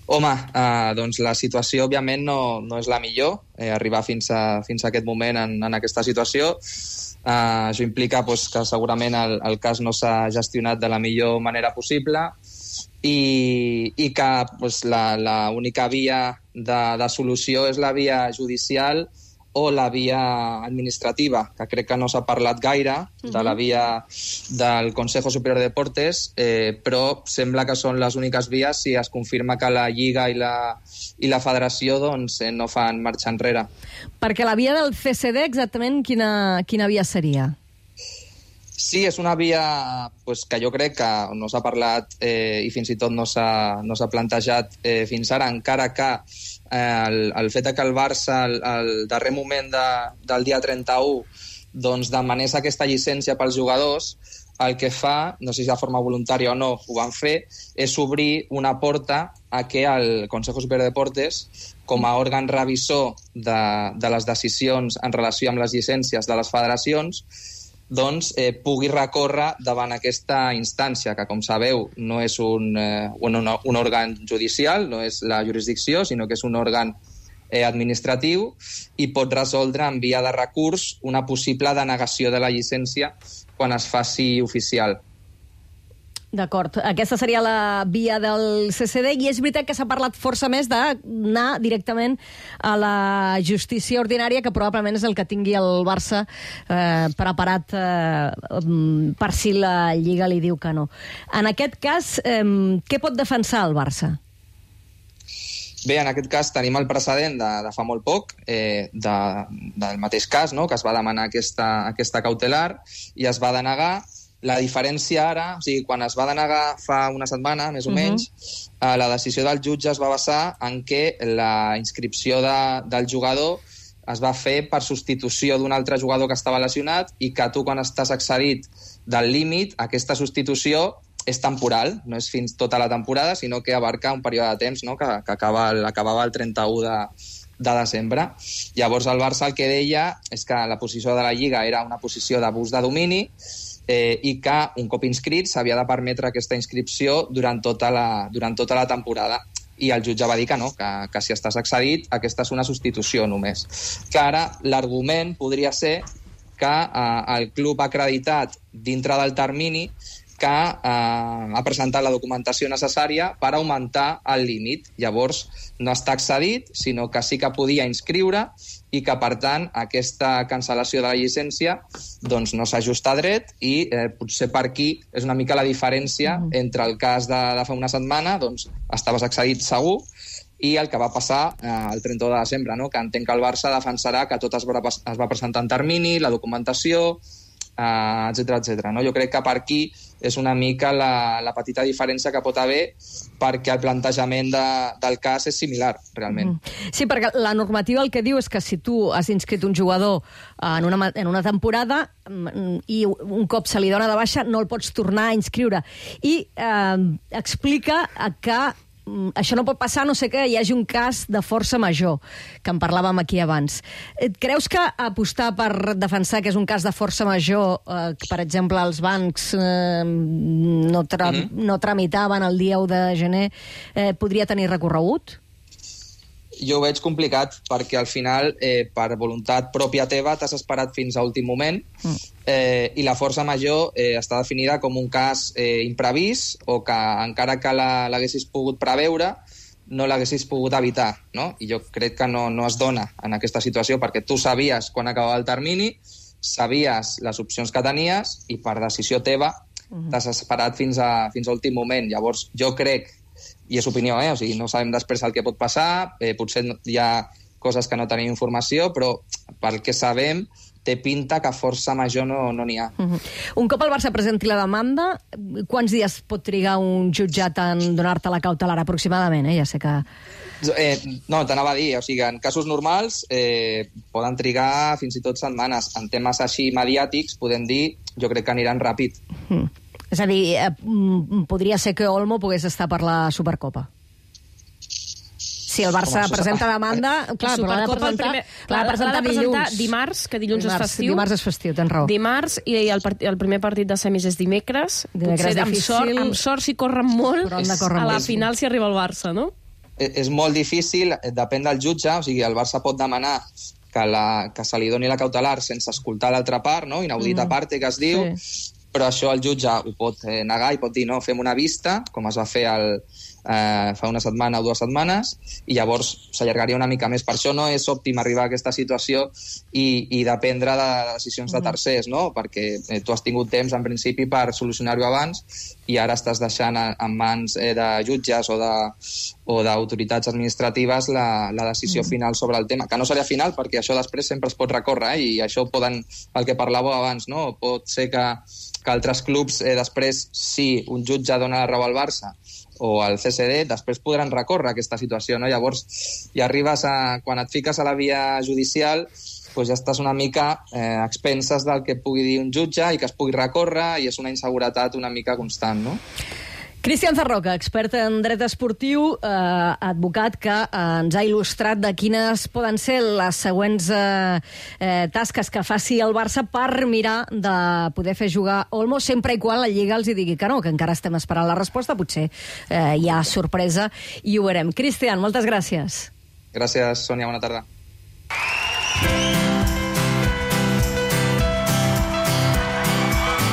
Home, eh, doncs la situació, òbviament, no, no és la millor, eh, arribar fins a, fins a aquest moment en, en aquesta situació. Eh, això implica pues, que segurament el, el cas no s'ha gestionat de la millor manera possible i, i que pues, la, la única via de, de solució és la via judicial o la via administrativa, que crec que no s'ha parlat gaire, uh-huh. de la via del Consejo Superior de Deportes, eh, però sembla que són les úniques vies si es confirma que la Lliga i la, i la Federació doncs, eh, no fan marxa enrere. Perquè la via del C C D, exactament, quina, quina via seria? Sí, és una via pues, que jo crec que no s'ha parlat eh, i fins i tot no s'ha no s'ha plantejat eh, fins ara, encara que eh, el, el fet que el Barça al, al darrer moment de, del dia trenta-u doncs, demanés aquesta llicència pels jugadors, el que fa, no sé si de forma voluntària o no, ho van fer, és obrir una porta a que el Consejo Superior de Deportes, com a òrgan revisor de, de les decisions en relació amb les llicències de les federacions, doncs eh, pugui recórrer davant aquesta instància, que com sabeu no és un, eh, un, un òrgan judicial, no és la jurisdicció, sinó que és un òrgan eh, administratiu i pot resoldre en via de recurs una possible denegació de la llicència quan es faci oficial. D'acord. Aquesta seria la via del C C D i és veritat que s'ha parlat força més d'anar directament a la justícia ordinària, que probablement és el que tingui el Barça eh, preparat eh, per si la Lliga li diu que no. En aquest cas, eh, què pot defensar el Barça? Bé, en aquest cas tenim el precedent de, de fa molt poc, eh, de, del mateix cas, no?, que es va demanar aquesta, aquesta cautelar i es va denegar. La diferència ara, o sigui, quan es va denegar fa una setmana, més o uh-huh. menys, eh, la decisió del jutge es va basar en que la inscripció de, del jugador es va fer per substitució d'un altre jugador que estava lesionat i que tu, quan estàs excedit del límit, aquesta substitució és temporal, no és fins tota la temporada, sinó que abarca un període de temps, no?, que, que acaba el, acabava el trenta-u de, de desembre. Llavors el Barça el que deia és que la posició de la Lliga era una posició d'abús de domini eh, i que un cop inscrit s'havia de permetre aquesta inscripció durant tota la, durant tota la temporada. I el jutge va dir que no, que, que si estàs excedit, aquesta és una substitució només. Que ara l'argument podria ser que eh, el club ha acreditat dintre del termini que eh, ha presentat la documentació necessària per augmentar el límit. Llavors, no està excedit, sinó que sí que podia inscriure i que, per tant, aquesta cancel·lació de la llicència doncs, no s'ajusta a dret i eh, potser per aquí és una mica la diferència mm. entre el cas de, de fa una setmana, doncs estaves excedit segur, i el que va passar eh, el trenta-u de desembre, no? Que entenc que el Barça defensarà que tot es va, es va presentar en termini, la documentació, Uh, etcètera, etcètera. No? Jo crec que per aquí és una mica la, la petita diferència que pot haver perquè el plantejament de, del cas és similar, realment. Mm. Sí, perquè la normativa el que diu és que si tu has inscrit un jugador en una, en una temporada i un cop se li dona de baixa no el pots tornar a inscriure. I eh, explica que això no pot passar, no sé que hi hagi un cas de força major, que en parlàvem aquí abans. Creus que apostar per defensar que és un cas de força major, eh, que, per exemple, els bancs eh, no, tra mm-hmm. no tramitaven el dia u de gener, eh, podria tenir recorregut? Jo ho veig complicat, perquè al final, eh, per voluntat pròpia teva, t'has esperat fins a últim moment mm. eh, i la força major eh, està definida com un cas eh, imprevist o que encara que l'haguessis pogut preveure, no l'haguessis pogut evitar, no? I jo crec que no, no es dona en aquesta situació, perquè tu sabies quan acabava el termini, sabies les opcions que tenies i per decisió teva mm. t'has esperat fins a, fins a últim moment. Llavors, jo crec, i és opinió, eh? O sigui, no sabem després el que pot passar, eh, potser hi ha coses que no tenim informació, però pel que sabem té pinta que força major no n'hi no ha. Uh-huh. Un cop el Barça presenti la demanda, quants dies pot trigar un jutjat en donar-te la cautelar aproximadament? Eh? Ja sé que... Eh, no, t'anava a dir, o sigui, en casos normals eh, poden trigar fins i tot setmanes. En temes així mediàtics, podem dir, jo crec que aniran ràpid. Uh-huh. És a dir, eh, podria ser que Olmo pogués estar per la Supercopa. si el Barça Home, presenta demanda... Clar, però l'ha de Supercopa, el presentar, primer- l'ha de presentar l'ha de presentar dilluns. dimarts, que dilluns és Dimarts- festiu. Dimarts és festiu, tens raó. Dimarts, i el, part, el primer partit de semis és dimecres. Dimecres Potser amb difícil. sort, amb sort si corren molt, Però han de córrer a la molt. final si arriba el Barça, no? És molt difícil, depèn del jutge, o sigui, el Barça pot demanar que, la, que se li doni la cautelar sense escoltar l'altra part, no? Inaudita Mm. parte, que es diu, Sí. però això el jutge ho pot eh, negar i pot dir, no, fem una vista, com es va fer el, eh, fa una setmana o dues setmanes, i llavors s'allargaria una mica més. Per això no és òptim arribar a aquesta situació i, i dependre de decisions de tercers, no? Perquè eh, tu has tingut temps, en principi, per solucionar-ho abans, i ara estàs deixant a- en mans eh, de jutges o de o d'autoritats administratives la, la decisió Mm. final sobre el tema, que no seria final perquè això després sempre es pot recórrer, eh? I això poden, el que parlàveu abans, no? Pot ser que, que altres clubs eh, després, si un jutge dona la raó al Barça o al C S D, després podran recórrer aquesta situació, no? Llavors, ja arribes a, quan et fiques a la via judicial, doncs ja estàs una mica eh, a expenses del que pugui dir un jutge i que es pugui recórrer, i és una inseguretat una mica constant, no? Cristian Zarroca, expert en dret esportiu, eh, advocat que eh, ens ha il·lustrat de quines poden ser les següents eh, eh, tasques que faci el Barça per mirar de poder fer jugar Olmo, sempre i quan la Lliga els hi digui que no, que encara estem esperant la resposta, potser eh, hi ha sorpresa i ho veurem. Cristian, moltes gràcies. Gràcies, Sònia, bona tarda.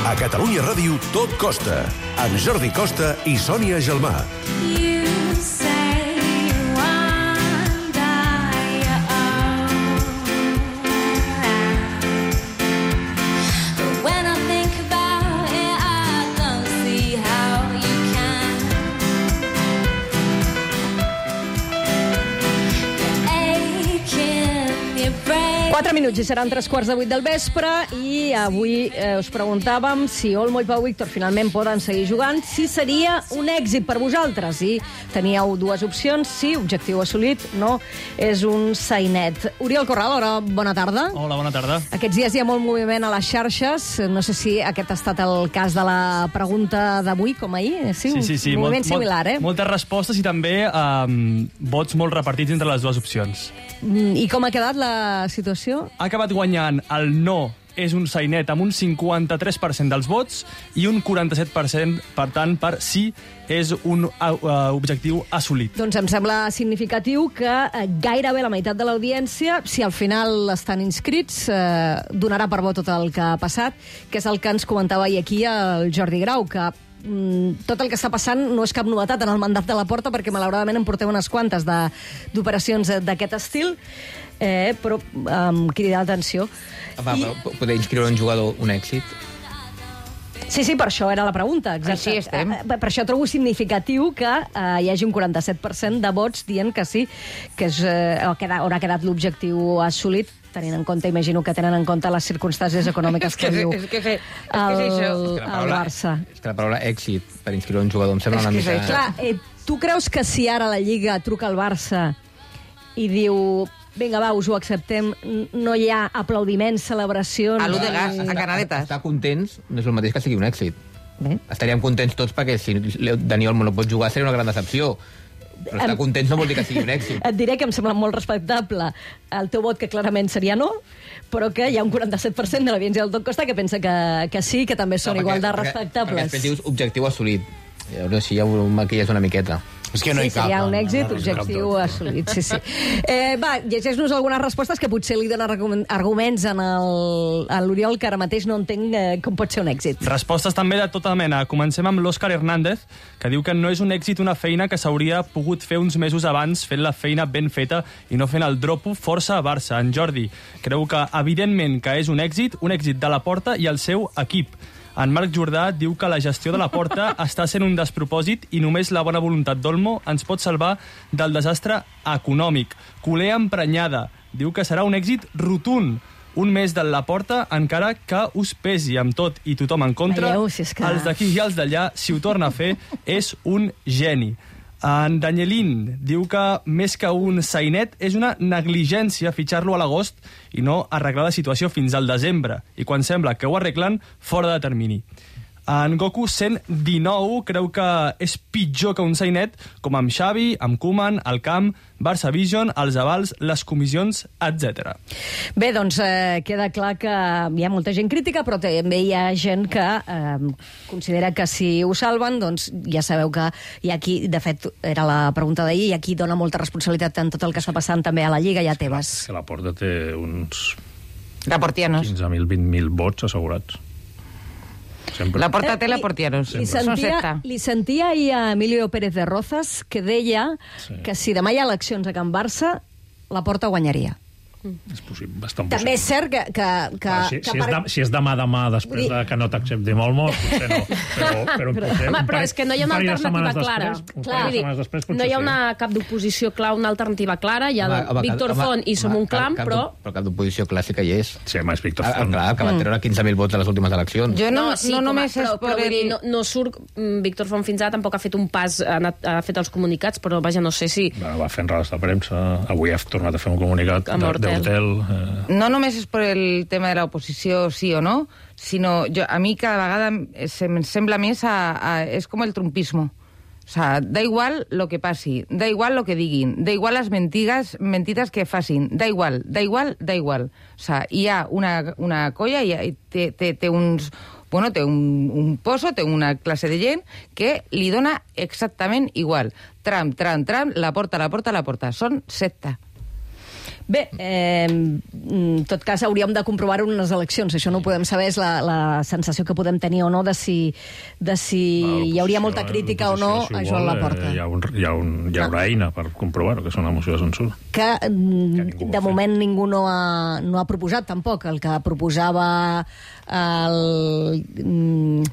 A Catalunya Ràdio tot costa, amb Jordi Costa i Sònia Gelmà. Quatre minuts i seran tres quarts de vuit del vespre i avui eh, us preguntàvem si Olmo i Pau Víctor finalment poden seguir jugant, si seria un èxit per vosaltres. I teníeu dues opcions, sí, objectiu assolit, no, és un sainet. Oriol Corral, hola, bona tarda. Hola, bona tarda. Aquests dies hi ha molt moviment a les xarxes, no sé si aquest ha estat el cas de la pregunta d'avui, com ahir, sí, Sí, sí, sí. un moviment molt, similar, molt, eh? Moltes respostes i també um, vots molt repartits entre les dues opcions. Mm, I com ha quedat la situació? Ha acabat guanyant el no és un sainet amb un cinquanta-tres per cent dels vots i un quaranta-set per cent, per tant, per sí és un uh, objectiu assolit. Doncs em sembla significatiu que eh, gairebé la meitat de l'audiència, si al final estan inscrits, eh, donarà per bo tot el que ha passat, que és el que ens comentava ahir aquí el Jordi Grau, que mm, tot el que està passant no és cap novetat en el mandat de la Porta, perquè malauradament en porteu unes quantes de- d'operacions d'aquest estil, eh, però amb um, cridar l'atenció. Home, I... però poder inscriure un jugador un èxit? Sí, sí, per això era la pregunta. Exacte. Així estem. Eh, Per això trobo significatiu que eh, hi hagi un quaranta-set per cent de vots dient que sí, que és, eh, o queda, haurà quedat l'objectiu assolit, tenint en compte, imagino que tenen en compte les circumstàncies econòmiques que, És que- viu és que- és que el, és això. És que la el paraula- Barça. És que la paraula èxit per inscriure un jugador em sembla És una que mica... és clar, eh, tu creus que si ara la Lliga truca al Barça i diu vinga, va, us ho acceptem, n- no hi ha aplaudiments, celebracions... A l'u de ni- gas, a Canaletes. Estar contents no és el mateix que sigui un èxit. Bé. Estaríem contents tots perquè si Leo- Dani Olmo no pot jugar seria una gran decepció. Però estar Em- contents no vol dir que sigui un èxit. Et diré que em sembla molt respectable el teu vot, que clarament seria no, però que hi ha un quaranta-set per cent de l'audiència del Tot Costa que pensa que, que sí, que també són No, igual de perquè- Perquè respectables. després dius objectiu assolit. Llavors així ja ho maquilles una miqueta. És que no sí, hi cap. seria un no, èxit, no, no, objectiu no, no. assolit, sí, sí. Eh, va, llegeix-nos algunes respostes que potser li donen argument- arguments en el- a l'Oriol, que ara mateix no entenc eh, com pot ser un èxit. Respostes també de tota mena. Comencem amb l'Òscar Hernández, que diu que no és un èxit una feina que s'hauria pogut fer uns mesos abans fent la feina ben feta i no fent el dropo força a Barça. En Jordi creu que, evidentment, que és un èxit, un èxit de la Porta i el seu equip. En Marc Jordà diu que la gestió de la Porta està sent un despropòsit i només la bona voluntat d'Olmo ens pot salvar del desastre econòmic. Culer emprenyada diu que serà un èxit rotund. Un mes de la Porta, encara que us pesi amb tot i tothom en contra, Veieu, si és que- els d'aquí i els d'allà, si ho torna a fer, és un geni. En Danielín diu que més que un sainet és una negligència fitxar-lo a l'agost i no arreglar la situació fins al desembre, i quan sembla que ho arreglen, fora de termini. En Goku cent dinou creu que és pitjor que un sainet, com amb Xavi, amb Koeman, el Camp, Barça Vision, els avals, les comissions, etcètera. Bé, doncs eh, queda clar que hi ha molta gent crítica, però també hi ha gent que eh, considera que si ho salven, doncs ja sabeu que hi ha qui, de fet, era la pregunta d'ahir, hi ha qui dona molta responsabilitat en tot el que està passant també a la Lliga i a Tebas. És que la Porta té uns Laportianos. quinze mil, vint mil vots assegurats. Sempre. La Porta té Laportianos. Li sentia, li sentia ahir a Emilio Pérez de Rozas que deia sí. que si demà hi ha eleccions a Can Barça, la Porta guanyaria. És possible, bastant possible. També és cert que... que, que, ah, si, que si, per... és de, si és demà demà després de que no t'accepti molt molt, potser no. Però, però, però, potser, home, però és que no hi ha una alternativa clara. Després, Clar, dir, després, no hi ha una cap d'oposició clara, una alternativa clara. Hi ha home, home, Víctor home, Font i Som un Clam, cap, però... Però cap d'oposició clàssica hi és. Sí, home, és Víctor Font. Ah, clar, que va treure quinze mil vots a les últimes eleccions. Jo no, no, sí, no només a, però, és per però, el... dir, no, no surt... Víctor Font fins ara tampoc ha fet un pas, ha, anat, ha fet els comunicats, però vaja, no sé si... Bueno, va fent rodes de premsa, avui ha tornat a fer un comunicat d'Hortel. Eh... No només és per el tema de l'oposició, sí o no, sinó jo, a mi cada vegada em sembla més a, a, és com el trumpismo. O sea, da igual lo que passi, da igual lo que diguin, da igual les mentides, mentides que facin, da igual, da igual, da igual. O sea, hi ha una, una colla i té, té, té uns... Bueno, té un, un pozo, té una classe de gent que li dona exactament igual. Tram, tram, tram, la porta, la porta, la porta. Són secta. Bé, eh, en tot cas hauríem de comprovar-ho en unes eleccions. Això no ho podem saber, és la, la sensació que podem tenir o no de si, de si hi hauria molta crítica o no si a Joan Laporta. Hi, ha un, hi, ha un, hi haurà eina per comprovar-ho, que és una moció de censura. Que, que de moment ningú no ha, no ha proposat tampoc. El que proposava el...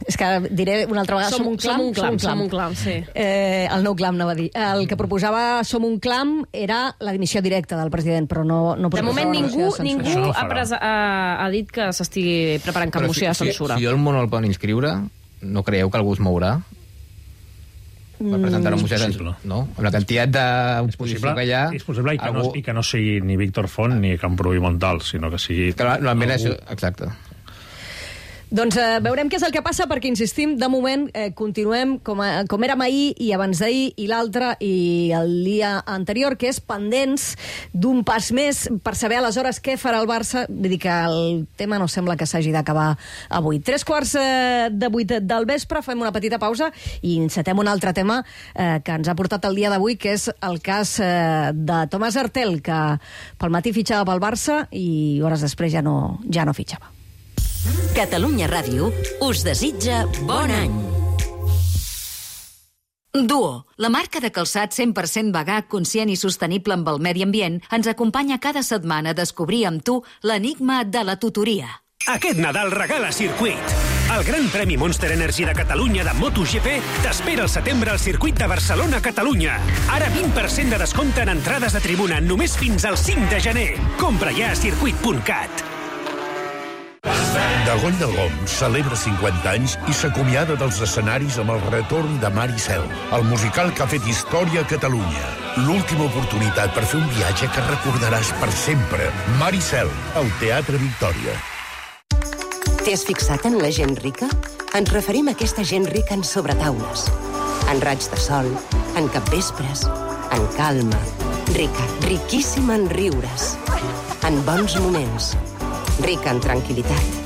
És que diré una altra vegada, Som, som un clam. Som un clam, som un clam, sí. Eh, el nou clam, anava a dir. El que proposava Som un clam era la dimissió directa del president, però no, no de moment ningú, ningú no ha, pres, ha, ha dit que s'estigui preparant cap moció de censura. Si, si el món el poden inscriure, no creieu que algú es mourà? Per presentar una moció de censura? No? Amb la quantitat d'oposició que hi ha... És possible i que, algú... no, i que no sigui ni Víctor Font ni Camprubí Montal, sinó que sigui... Que normalment algú... això... Exacte. Doncs eh, veurem què és el que passa, perquè, insistim, de moment eh, continuem com, a, com érem ahir i abans d'ahir i l'altre i el dia anterior, que és pendents d'un pas més per saber aleshores què farà el Barça. Vull dir que el tema no sembla que s'hagi d'acabar avui. Tres quarts eh, de vuit del vespre, fem una petita pausa i encetem un altre tema eh, que ens ha portat el dia d'avui, que és el cas eh, de Tomàs Hertel, que pel matí fitxava pel Barça i hores després ja no, ja no fitxava. Catalunya Ràdio us desitja bon any. Duo, la marca de calçat cent per cent vegà, conscient i sostenible amb el medi ambient, ens acompanya cada setmana a descobrir amb tu l'enigma de la tutoria. Aquest Nadal regala Circuit. El Gran Premi Monster Energy de Catalunya de MotoGP t'espera al setembre al circuit de Barcelona-Catalunya. Ara vint per cent de descompte en entrades de tribuna només fins al cinc de gener. Compra ja a circuit punt cat. Dagoll de Goms celebra cinquanta anys i s'acomiada dels escenaris amb el retorn de Mar i Cel, el musical que ha fet història a Catalunya. L'última oportunitat per fer un viatge que recordaràs per sempre. Mar i Cel, al Teatre Victòria. T'has fixat en la gent rica? Ens referim a aquesta gent rica en sobretaules, en raig de sol, en capvespres, en calma, rica, riquíssima en riures, en bons moments, rica en tranquil·litat,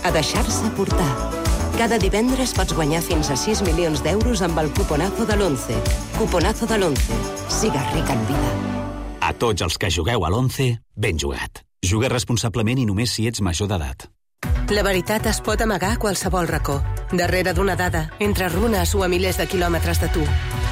a deixar-se portar. Cada divendres pots guanyar fins a sis milions d'euros amb el cuponazo de l'Once. Cuponazo de l'Once. Sigues ric en vida. A tots els que jugueu a l'Once, ben jugat. Juga responsablement i només si ets major d'edat. La veritat es pot amagar a qualsevol racó, darrere d'una dada, entre runes o a milers de quilòmetres de tu.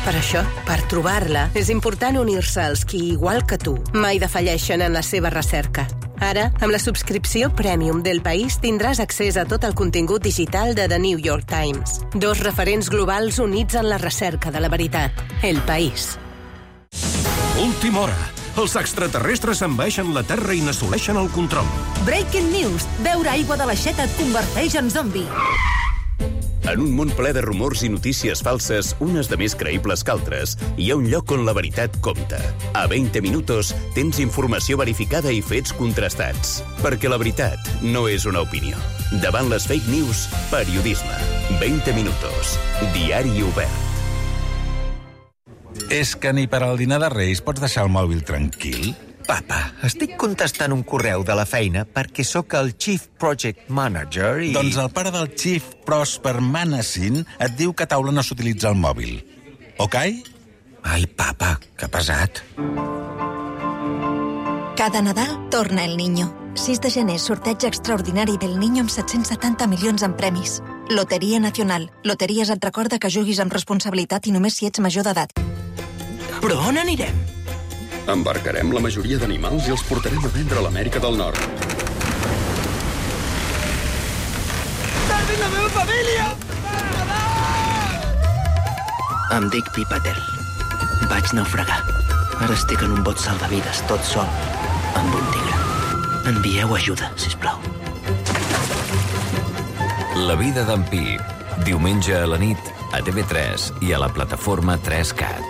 Per això, per trobar-la, és important unir-se als qui, igual que tu, mai defalleixen en la seva recerca. Ara, amb la subscripció Premium del País, tindràs accés a tot el contingut digital de The New York Times. Dos referents globals units en la recerca de la veritat. El País. Última hora. Els extraterrestres envaeixen la Terra i n'assoleixen el control. Breaking news. Beure aigua de l'aixeta et converteix en zombi. En un món ple de rumors i notícies falses, unes de més creïbles que altres, hi ha un lloc on la veritat compta. A vint Minutos tens informació verificada i fets contrastats. Perquè la veritat no és una opinió. Davant les fake news, periodisme. vint Minutos. Diari obert. És que ni per al dinar de Reis pots deixar el mòbil tranquil? Papa, estic contestant un correu de la feina perquè sóc el Chief Project Manager i... Doncs el pare del Chief Prosper Manassin et diu que a taula no s'utilitza el mòbil. Ok? Ai, papa, que pesat. Cada Nadal torna El Niño. sis de gener, sorteig extraordinari del Niño amb set-cents setanta milions en premis. Loteria Nacional. Loteries et recorda que juguis amb responsabilitat i només si ets major d'edat. Però on anirem? Embarcarem la majoria d'animals i els portarem a vendre a l'Amèrica del Nord. Salvi la meva família! Em dic Pipatel. Vaig naufragar. Ara estic en un bot salvavides, tot sol, amb un tigre. Envieu ajuda, sisplau. La vida d'en Pi. Diumenge a la nit, a T V tres i a la plataforma tres cat.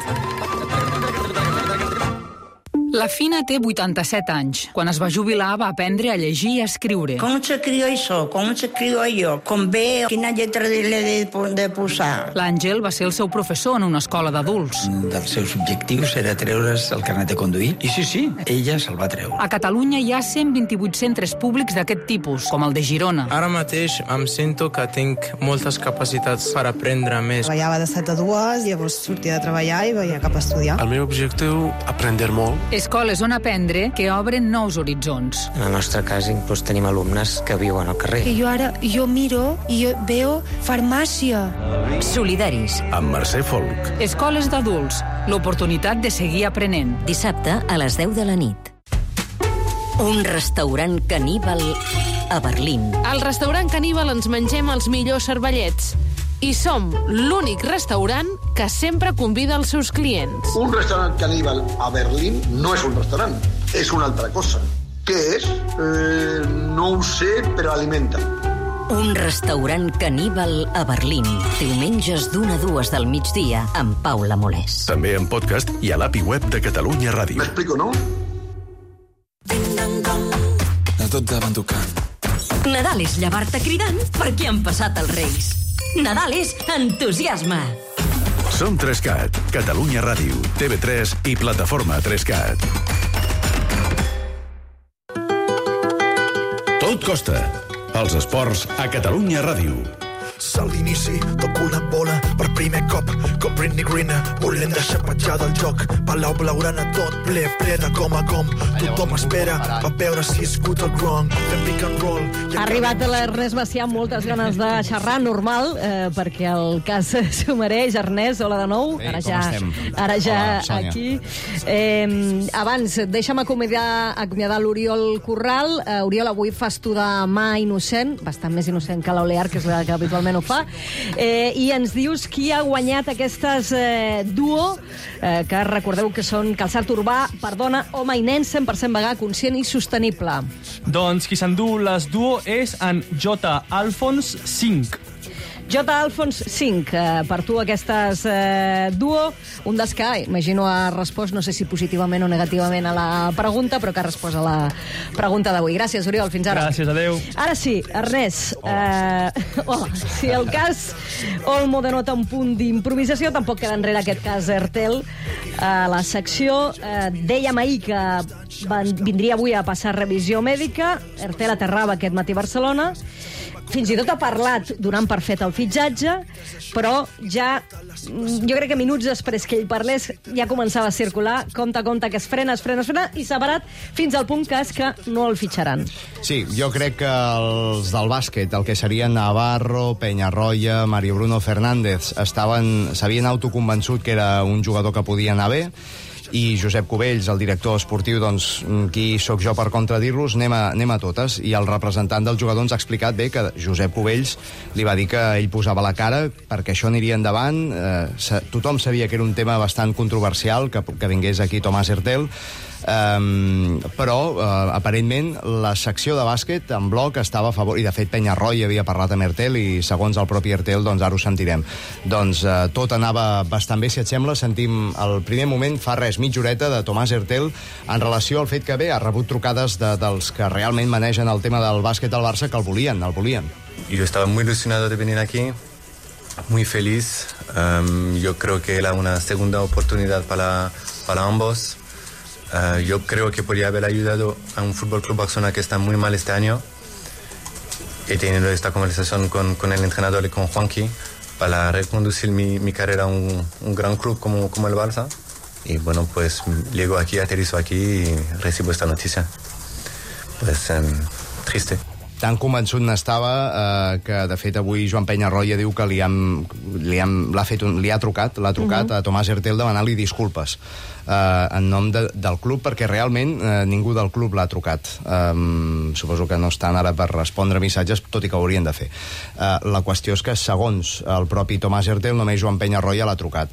La Fina té vuitanta-set anys. Quan es va jubilar va aprendre a llegir i a escriure. Com s'escriu això? Com s'escriu allò? Com ve? Quina lletra l'he de, de posar? L'Àngel va ser el seu professor en una escola d'adults. Un dels seus objectius era treure's el carnet de conduir. I sí, sí, ella se'l va treure. A Catalunya hi ha cent vint-i-vuit centres públics d'aquest tipus, com el de Girona. Ara mateix em sento que tinc moltes capacitats per aprendre més. Treballava de set a dues, llavors sortia de treballar i veia cap a estudiar. El meu objectiu, aprendre molt. Escoles on aprendre que obren nous horitzons. En el nostre cas, inclús tenim alumnes que viuen al carrer. Que jo ara, jo miro i jo veo farmàcia. Solidaris. Amb Mercè Folk. Escoles d'adults. L'oportunitat de seguir aprenent. Dissabte a les deu de la nit. Un restaurant caníbal a Berlín. Al restaurant caníbal ens mengem els millors cervellets. I som l'únic restaurant que sempre convida els seus clients. Un restaurant caníbal a Berlín no és un restaurant, és una altra cosa. Què és? Eh, no ho sé, però alimenta. Un restaurant caníbal a Berlín. Diumenges d'una a dues del migdia amb Paula Molés. També en podcast i a l'A P I web de Catalunya Ràdio. M'explico, no? A tot davant tocant. Nadal és llevar-te cridant perquè han passat els Reis. Nadal és entusiasme. Som tres cat, Catalunya Ràdio, T V tres i plataforma tres cat. Tot costa. Els esports a Catalunya Ràdio. Salt d'inici, toco una bola per primer cop, com Britney Greener, volent deixar petjar del joc. Palau blaugrana tot ple, ple de com a com. Tothom espera, va veure si he escut el gronc. Fem pick and roll. Ha arribat l'Ernest Macià amb moltes ganes de xerrar, normal, eh, perquè el cas s'ho mereix. Ernest, hola de nou. Ei, ara com ja, estem? ara ja Hola, aquí. Eh, abans, deixa'm acomiadar, acomiadar l'Oriol Corral. Eh, Oriol, avui fas tu de mà innocent, bastant més innocent que l'Olear, que és la que habitualment ho fa, eh, i ens dius qui ha guanyat aquestes eh, duo, eh, que recordeu que són calçat urbà per dona, home i nen, cent per cent vegà, conscient i sostenible. Doncs qui s'endú les duo és en J. Alfons cinc. J. Alfons cinc, eh, per tu aquestes eh, duo, un dels que, imagino, ha respost, no sé si positivament o negativament a la pregunta, però que ha respost a la pregunta d'avui. Gràcies, Oriol, fins ara. Gràcies, adeu. Ara sí, Ernest, eh, hola, si el cas Olmo denota un punt d'improvisació, tampoc queda enrere aquest cas Ertel. A la secció eh, dèiem ahir que van, vindria avui a passar revisió mèdica, Ertel aterrava aquest matí a Barcelona, fins i tot ha parlat donant per fet el fitxatge, però ja, jo crec que minuts després que ell parlés, ja començava a circular, compte, compte, que es frena, es frena, es frena, i s'ha parat fins al punt que és que no el fitxaran. Sí, jo crec que els del bàsquet, el que serien Navarro, Peñarroya, Mario Bruno Fernández, estaven, s'havien autoconvençut que era un jugador que podia anar bé, i Josep Cubells, el director esportiu, doncs, qui sóc jo per contradir-los, anem, a, anem a totes. I el representant del jugador ens ha explicat bé que Josep Cubells li va dir que ell posava la cara perquè això aniria endavant. Eh, tothom sabia que era un tema bastant controversial, que, que vingués aquí Tomàs Hertel, Um, però uh, aparentment la secció de bàsquet en bloc estava a favor, i de fet Penyarroy havia parlat amb Hertel i segons el propi Hertel, doncs ara ho sentirem, doncs uh, tot anava bastant bé. Si et sembla, sentim el primer moment, fa res, mitja horeta, de Tomàs Hertel en relació al fet que bé, ha rebut trucades de, dels que realment manegen el tema del bàsquet al Barça, que el volien, el volien. Yo estaba muy ilusionado de venir aquí, muy feliz. Um, yo creo que era una segunda oportunidad para, para ambos. Uh, yo creo que podría haber ayudado a un Fútbol Club Barcelona que está muy mal este año. He tenido esta conversación con, con el entrenador y con Juanqui para reconducir mi, mi carrera a un, un gran club como, como el Barça. Y bueno, pues llego aquí, aterrizo aquí y recibo esta noticia. Pues um, triste. Tan convençut n'estava eh, que, de fet, avui Joan Penyarroia diu que li, han, li, han, l'ha fet un, li ha trucat, l'ha trucat uh-huh. a Tomàs Hertel demanant-li disculpes eh, en nom de, del club, perquè realment eh, ningú del club l'ha trucat. Um, suposo que no estan ara per respondre missatges, tot i que ho haurien de fer. Uh, la qüestió és que, segons el propi Tomàs Hertel, només Joan Penyarroia l'ha trucat.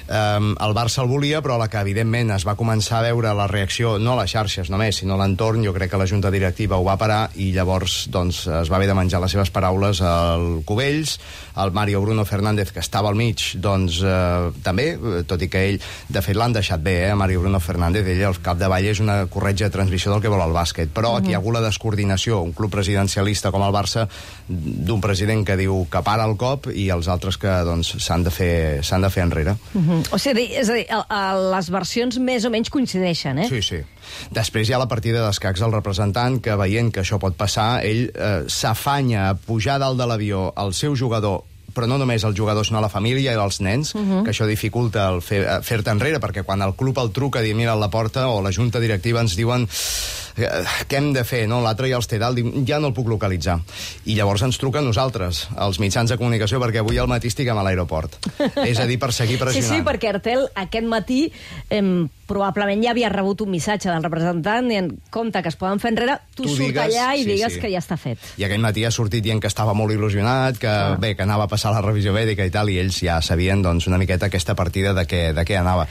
Um, el Barça el volia, però la que evidentment es va començar a veure la reacció, no a les xarxes només, sinó a l'entorn, jo crec que la Junta Directiva ho va parar i llavors doncs, es va haver de menjar les seves paraules al Cubells, el Mario Bruno Fernández, que estava al mig, doncs eh, també, tot i que ell, de fet l'han deixat bé, eh, Mario Bruno Fernández, ell al capdavall és una corretja transmissió del que vol el bàsquet, però uh-huh. aquí hi ha hagut la descoordinació, un club presidencialista com el Barça, d'un president que diu que para el cop i els altres que doncs, s'han de fer, s'han de fer enrere. Uh-huh. O sigui, és a dir, a, a les versions més o menys coincideixen, eh? Sí, sí. Després hi ha la partida d'escacs del representant, que veient que això pot passar, ell eh, s'afanya a pujar dalt de l'avió el seu jugador, però no només el jugador, sinó la família i els nens, uh-huh. que això dificulta el fer, fer-te enrere, perquè quan el club el truca i mira a la porta, o la junta directiva ens diuen què hem de fer, no? L'altre ja els té dalt, ja no el puc localitzar. I llavors ens truquen nosaltres, els mitjans de comunicació, perquè avui al matí estiguem a l'aeroport. És a dir, per seguir pressionant. Sí, sí, perquè Hertel aquest matí eh, probablement ja havia rebut un missatge del representant i en compte que es poden fer enrere, tu, tu surt digues, allà i sí, digues sí. que ja està fet. I aquell matí ha sortit dient que estava molt il·lusionat, que ah. bé, que anava a passar la revisió mèdica i tal, i ells ja sabien doncs, una miqueta aquesta partida de què, de què anava.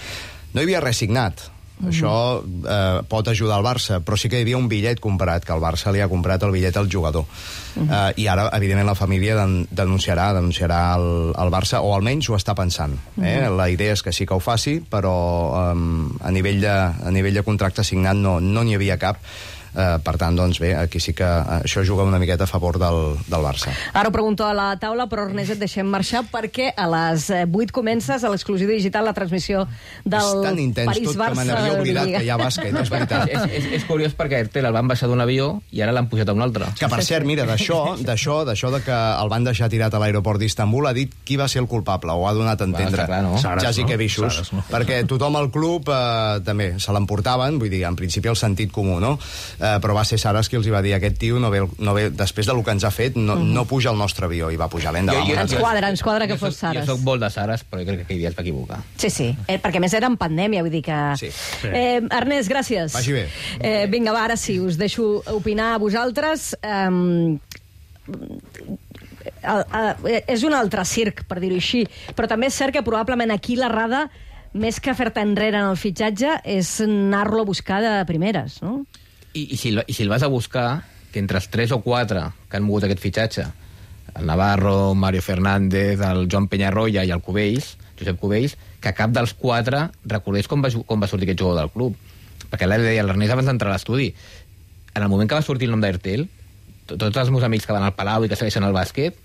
No hi havia res signat. Uh-huh. Això eh, pot ajudar el Barça, però sí que hi havia un bitllet comprat, que el Barça li ha comprat el bitllet al jugador. Uh-huh. Eh, I ara, evidentment, la família den- denunciarà denunciarà el, el Barça, o almenys ho està pensant. Eh? Uh-huh. La idea és que sí que ho faci, però eh, a, nivell de, a nivell de contracte signat no no n'hi havia cap. Uh, per tant, doncs bé, aquí sí que uh, això juga una miqueta a favor del, del Barça. Ara ho pregunto a la taula, però Ernest, et deixem marxar perquè a les vuit comences a l'exclusiu digital la transmissió del és tan intens París-Barça. Tot que me n'havia oblidat que hi ha bàsquet, és veritat. és, és, és curiós perquè Hertel el van baixar d'un avió i ara l'han pujat a un altre. Que per cert, mira, d'això, d'això, d'això de que el van deixar tirat a l'aeroport d'Istanbul, ha dit qui va ser el culpable, o ha donat a entendre. Va, clar, no? Xasi no? que bichos. No? Perquè tothom al club eh, també se l'emportaven, vull dir, en principi el sentit comú, no? Eh, però va ser Saras qui els hi va dir, aquest tio no ve, no ve després del que ens ha fet, no, mm. no puja al nostre avió, i va pujar l'endavant. Ens quadra, ens quadra que fos Saras. Jo soc molt de Saras, però jo crec que aquell dia es va equivocar. Sí, sí, eh, perquè més era en pandèmia, vull dir que... Sí. Eh, Ernest, gràcies. Vagi bé. Eh, vinga, va, ara sí, us deixo opinar a vosaltres. Um, uh, uh, és un altre circ, per dir-ho així, però també és cert que probablement aquí l'errada, més que fer-te enrere en el fitxatge, és anar-lo a buscar de primeres, no? I, i, si, I si el vas a buscar, que entre els tres o quatre que han mogut aquest fitxatge, el Navarro, Mario Fernández, el Joan Penyarroia i el Cubells, Josep Cubells, que cap dels quatre recordés com va, com va sortir aquest jugador del club. Perquè l'Eri deia, l'Ernest abans d'entrar a l'estudi, en el moment que va sortir el nom d'Hertel, tots els meus amics que van al Palau i que segueixen el bàsquet,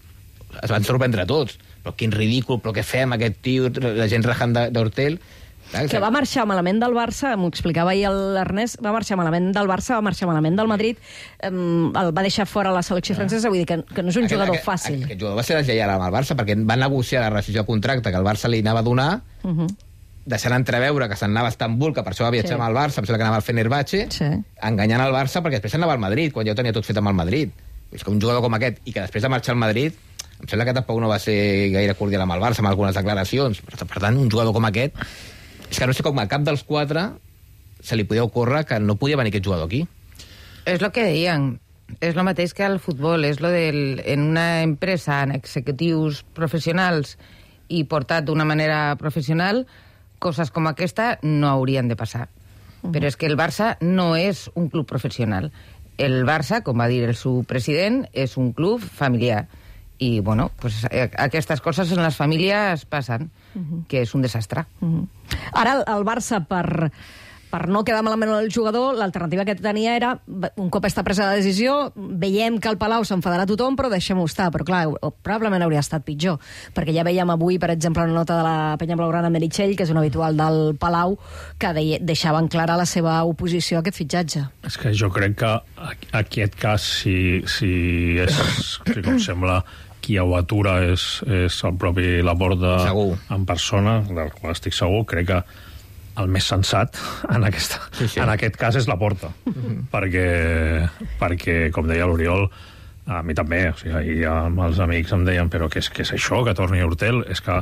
es van sorprendre tots. Però quin ridícul, però què fem, aquest tio, la gent rajant d'Hertel... Que va marxar malament del Barça, m'ho explicava ahir l'Ernest, va marxar malament del Barça, va marxar malament del Madrid, um, el va deixar fora la selecció francesa, vull dir que, que no és un aquest, jugador aquest, fàcil. Aquest, aquest jugador va ser deslleial amb el Barça, perquè va negociar la rescissió de contracte que el Barça li anava a donar, uh -huh. deixant entreveure que se'n anava a Estambul, que per això va viatjar sí. amb el Barça, em sembla que anava al Fenerbahçe, sí. enganyant el Barça, perquè després anava al Madrid, quan ja ho tenia tot fet amb el Madrid. És que un jugador com aquest, i que després de marxar al Madrid, em sembla que tampoc no va ser gaire cordial amb el Barça, amb algunes declaracions. Per tant, un jugador com aquest És que no sé com a cap dels quatre se li podia ocórrer que no podia venir aquest jugador aquí. És el que deien. És el mateix que al futbol. És lo del, en una empresa, en executius professionals i portat d'una manera professional, coses com aquesta no haurien de passar. Uh-huh. Però és que el Barça no és un club professional. El Barça, com va dir el seu president, és un club familiar. I, bueno, pues, aquestes coses en les famílies passen, uh-huh. que és un desastre. Uh-huh. Ara, el Barça, per, per no quedar malament el jugador, l'alternativa que tenia era, un cop està presa la decisió, veiem que al Palau s'enfadarà tothom, però deixem-ho estar. Però, clar, probablement hauria estat pitjor, perquè ja veiem avui, per exemple, una nota de la penya blaugrana Meritxell, que és un habitual del Palau, que de, deixaven clara la seva oposició a aquest fitxatge. És que jo crec que aquest cas, si, si és, si com sembla, qui ho atura és, és el propi Laporta en persona, del qual estic segur, crec que el més sensat en, aquesta, sí, sí. en aquest cas és Laporta. Uh-huh. perquè, perquè, com deia l'Oriol, a mi també, o sigui, ahir amb els amics em deien però què és, què és això, que torni Hurtel? És que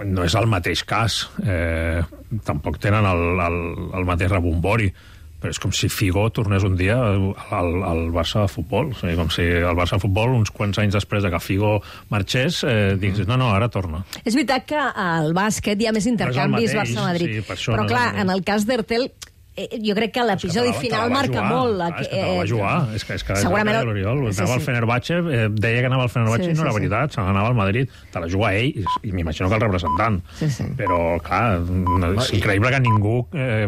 no és el mateix cas. Eh, tampoc tenen el, el, el mateix rebombori. Però és com si Figo tornés un dia al, al Barça de futbol. O sigui, com si el Barça de futbol, uns quants anys després de que Figo marxés, eh, digués, no, no, ara torna. És veritat que al bàsquet hi ha més intercanvis no Barça-Madrid. Sí, però, no clar, en el cas d'Hurtel, eh, jo crec que l'episodi final marca jugar. molt. Ah, és que te la va jugar. És que, és que segurament... l'Oriol Sí, anava sí. al Fenerbahçe, eh, deia que anava al Fenerbahçe sí, i no era sí, veritat, se n'anava al Madrid. Te la juga ell, i, i m'imagino que el representant. Sí, sí. Però, clar, és increïble que ningú eh,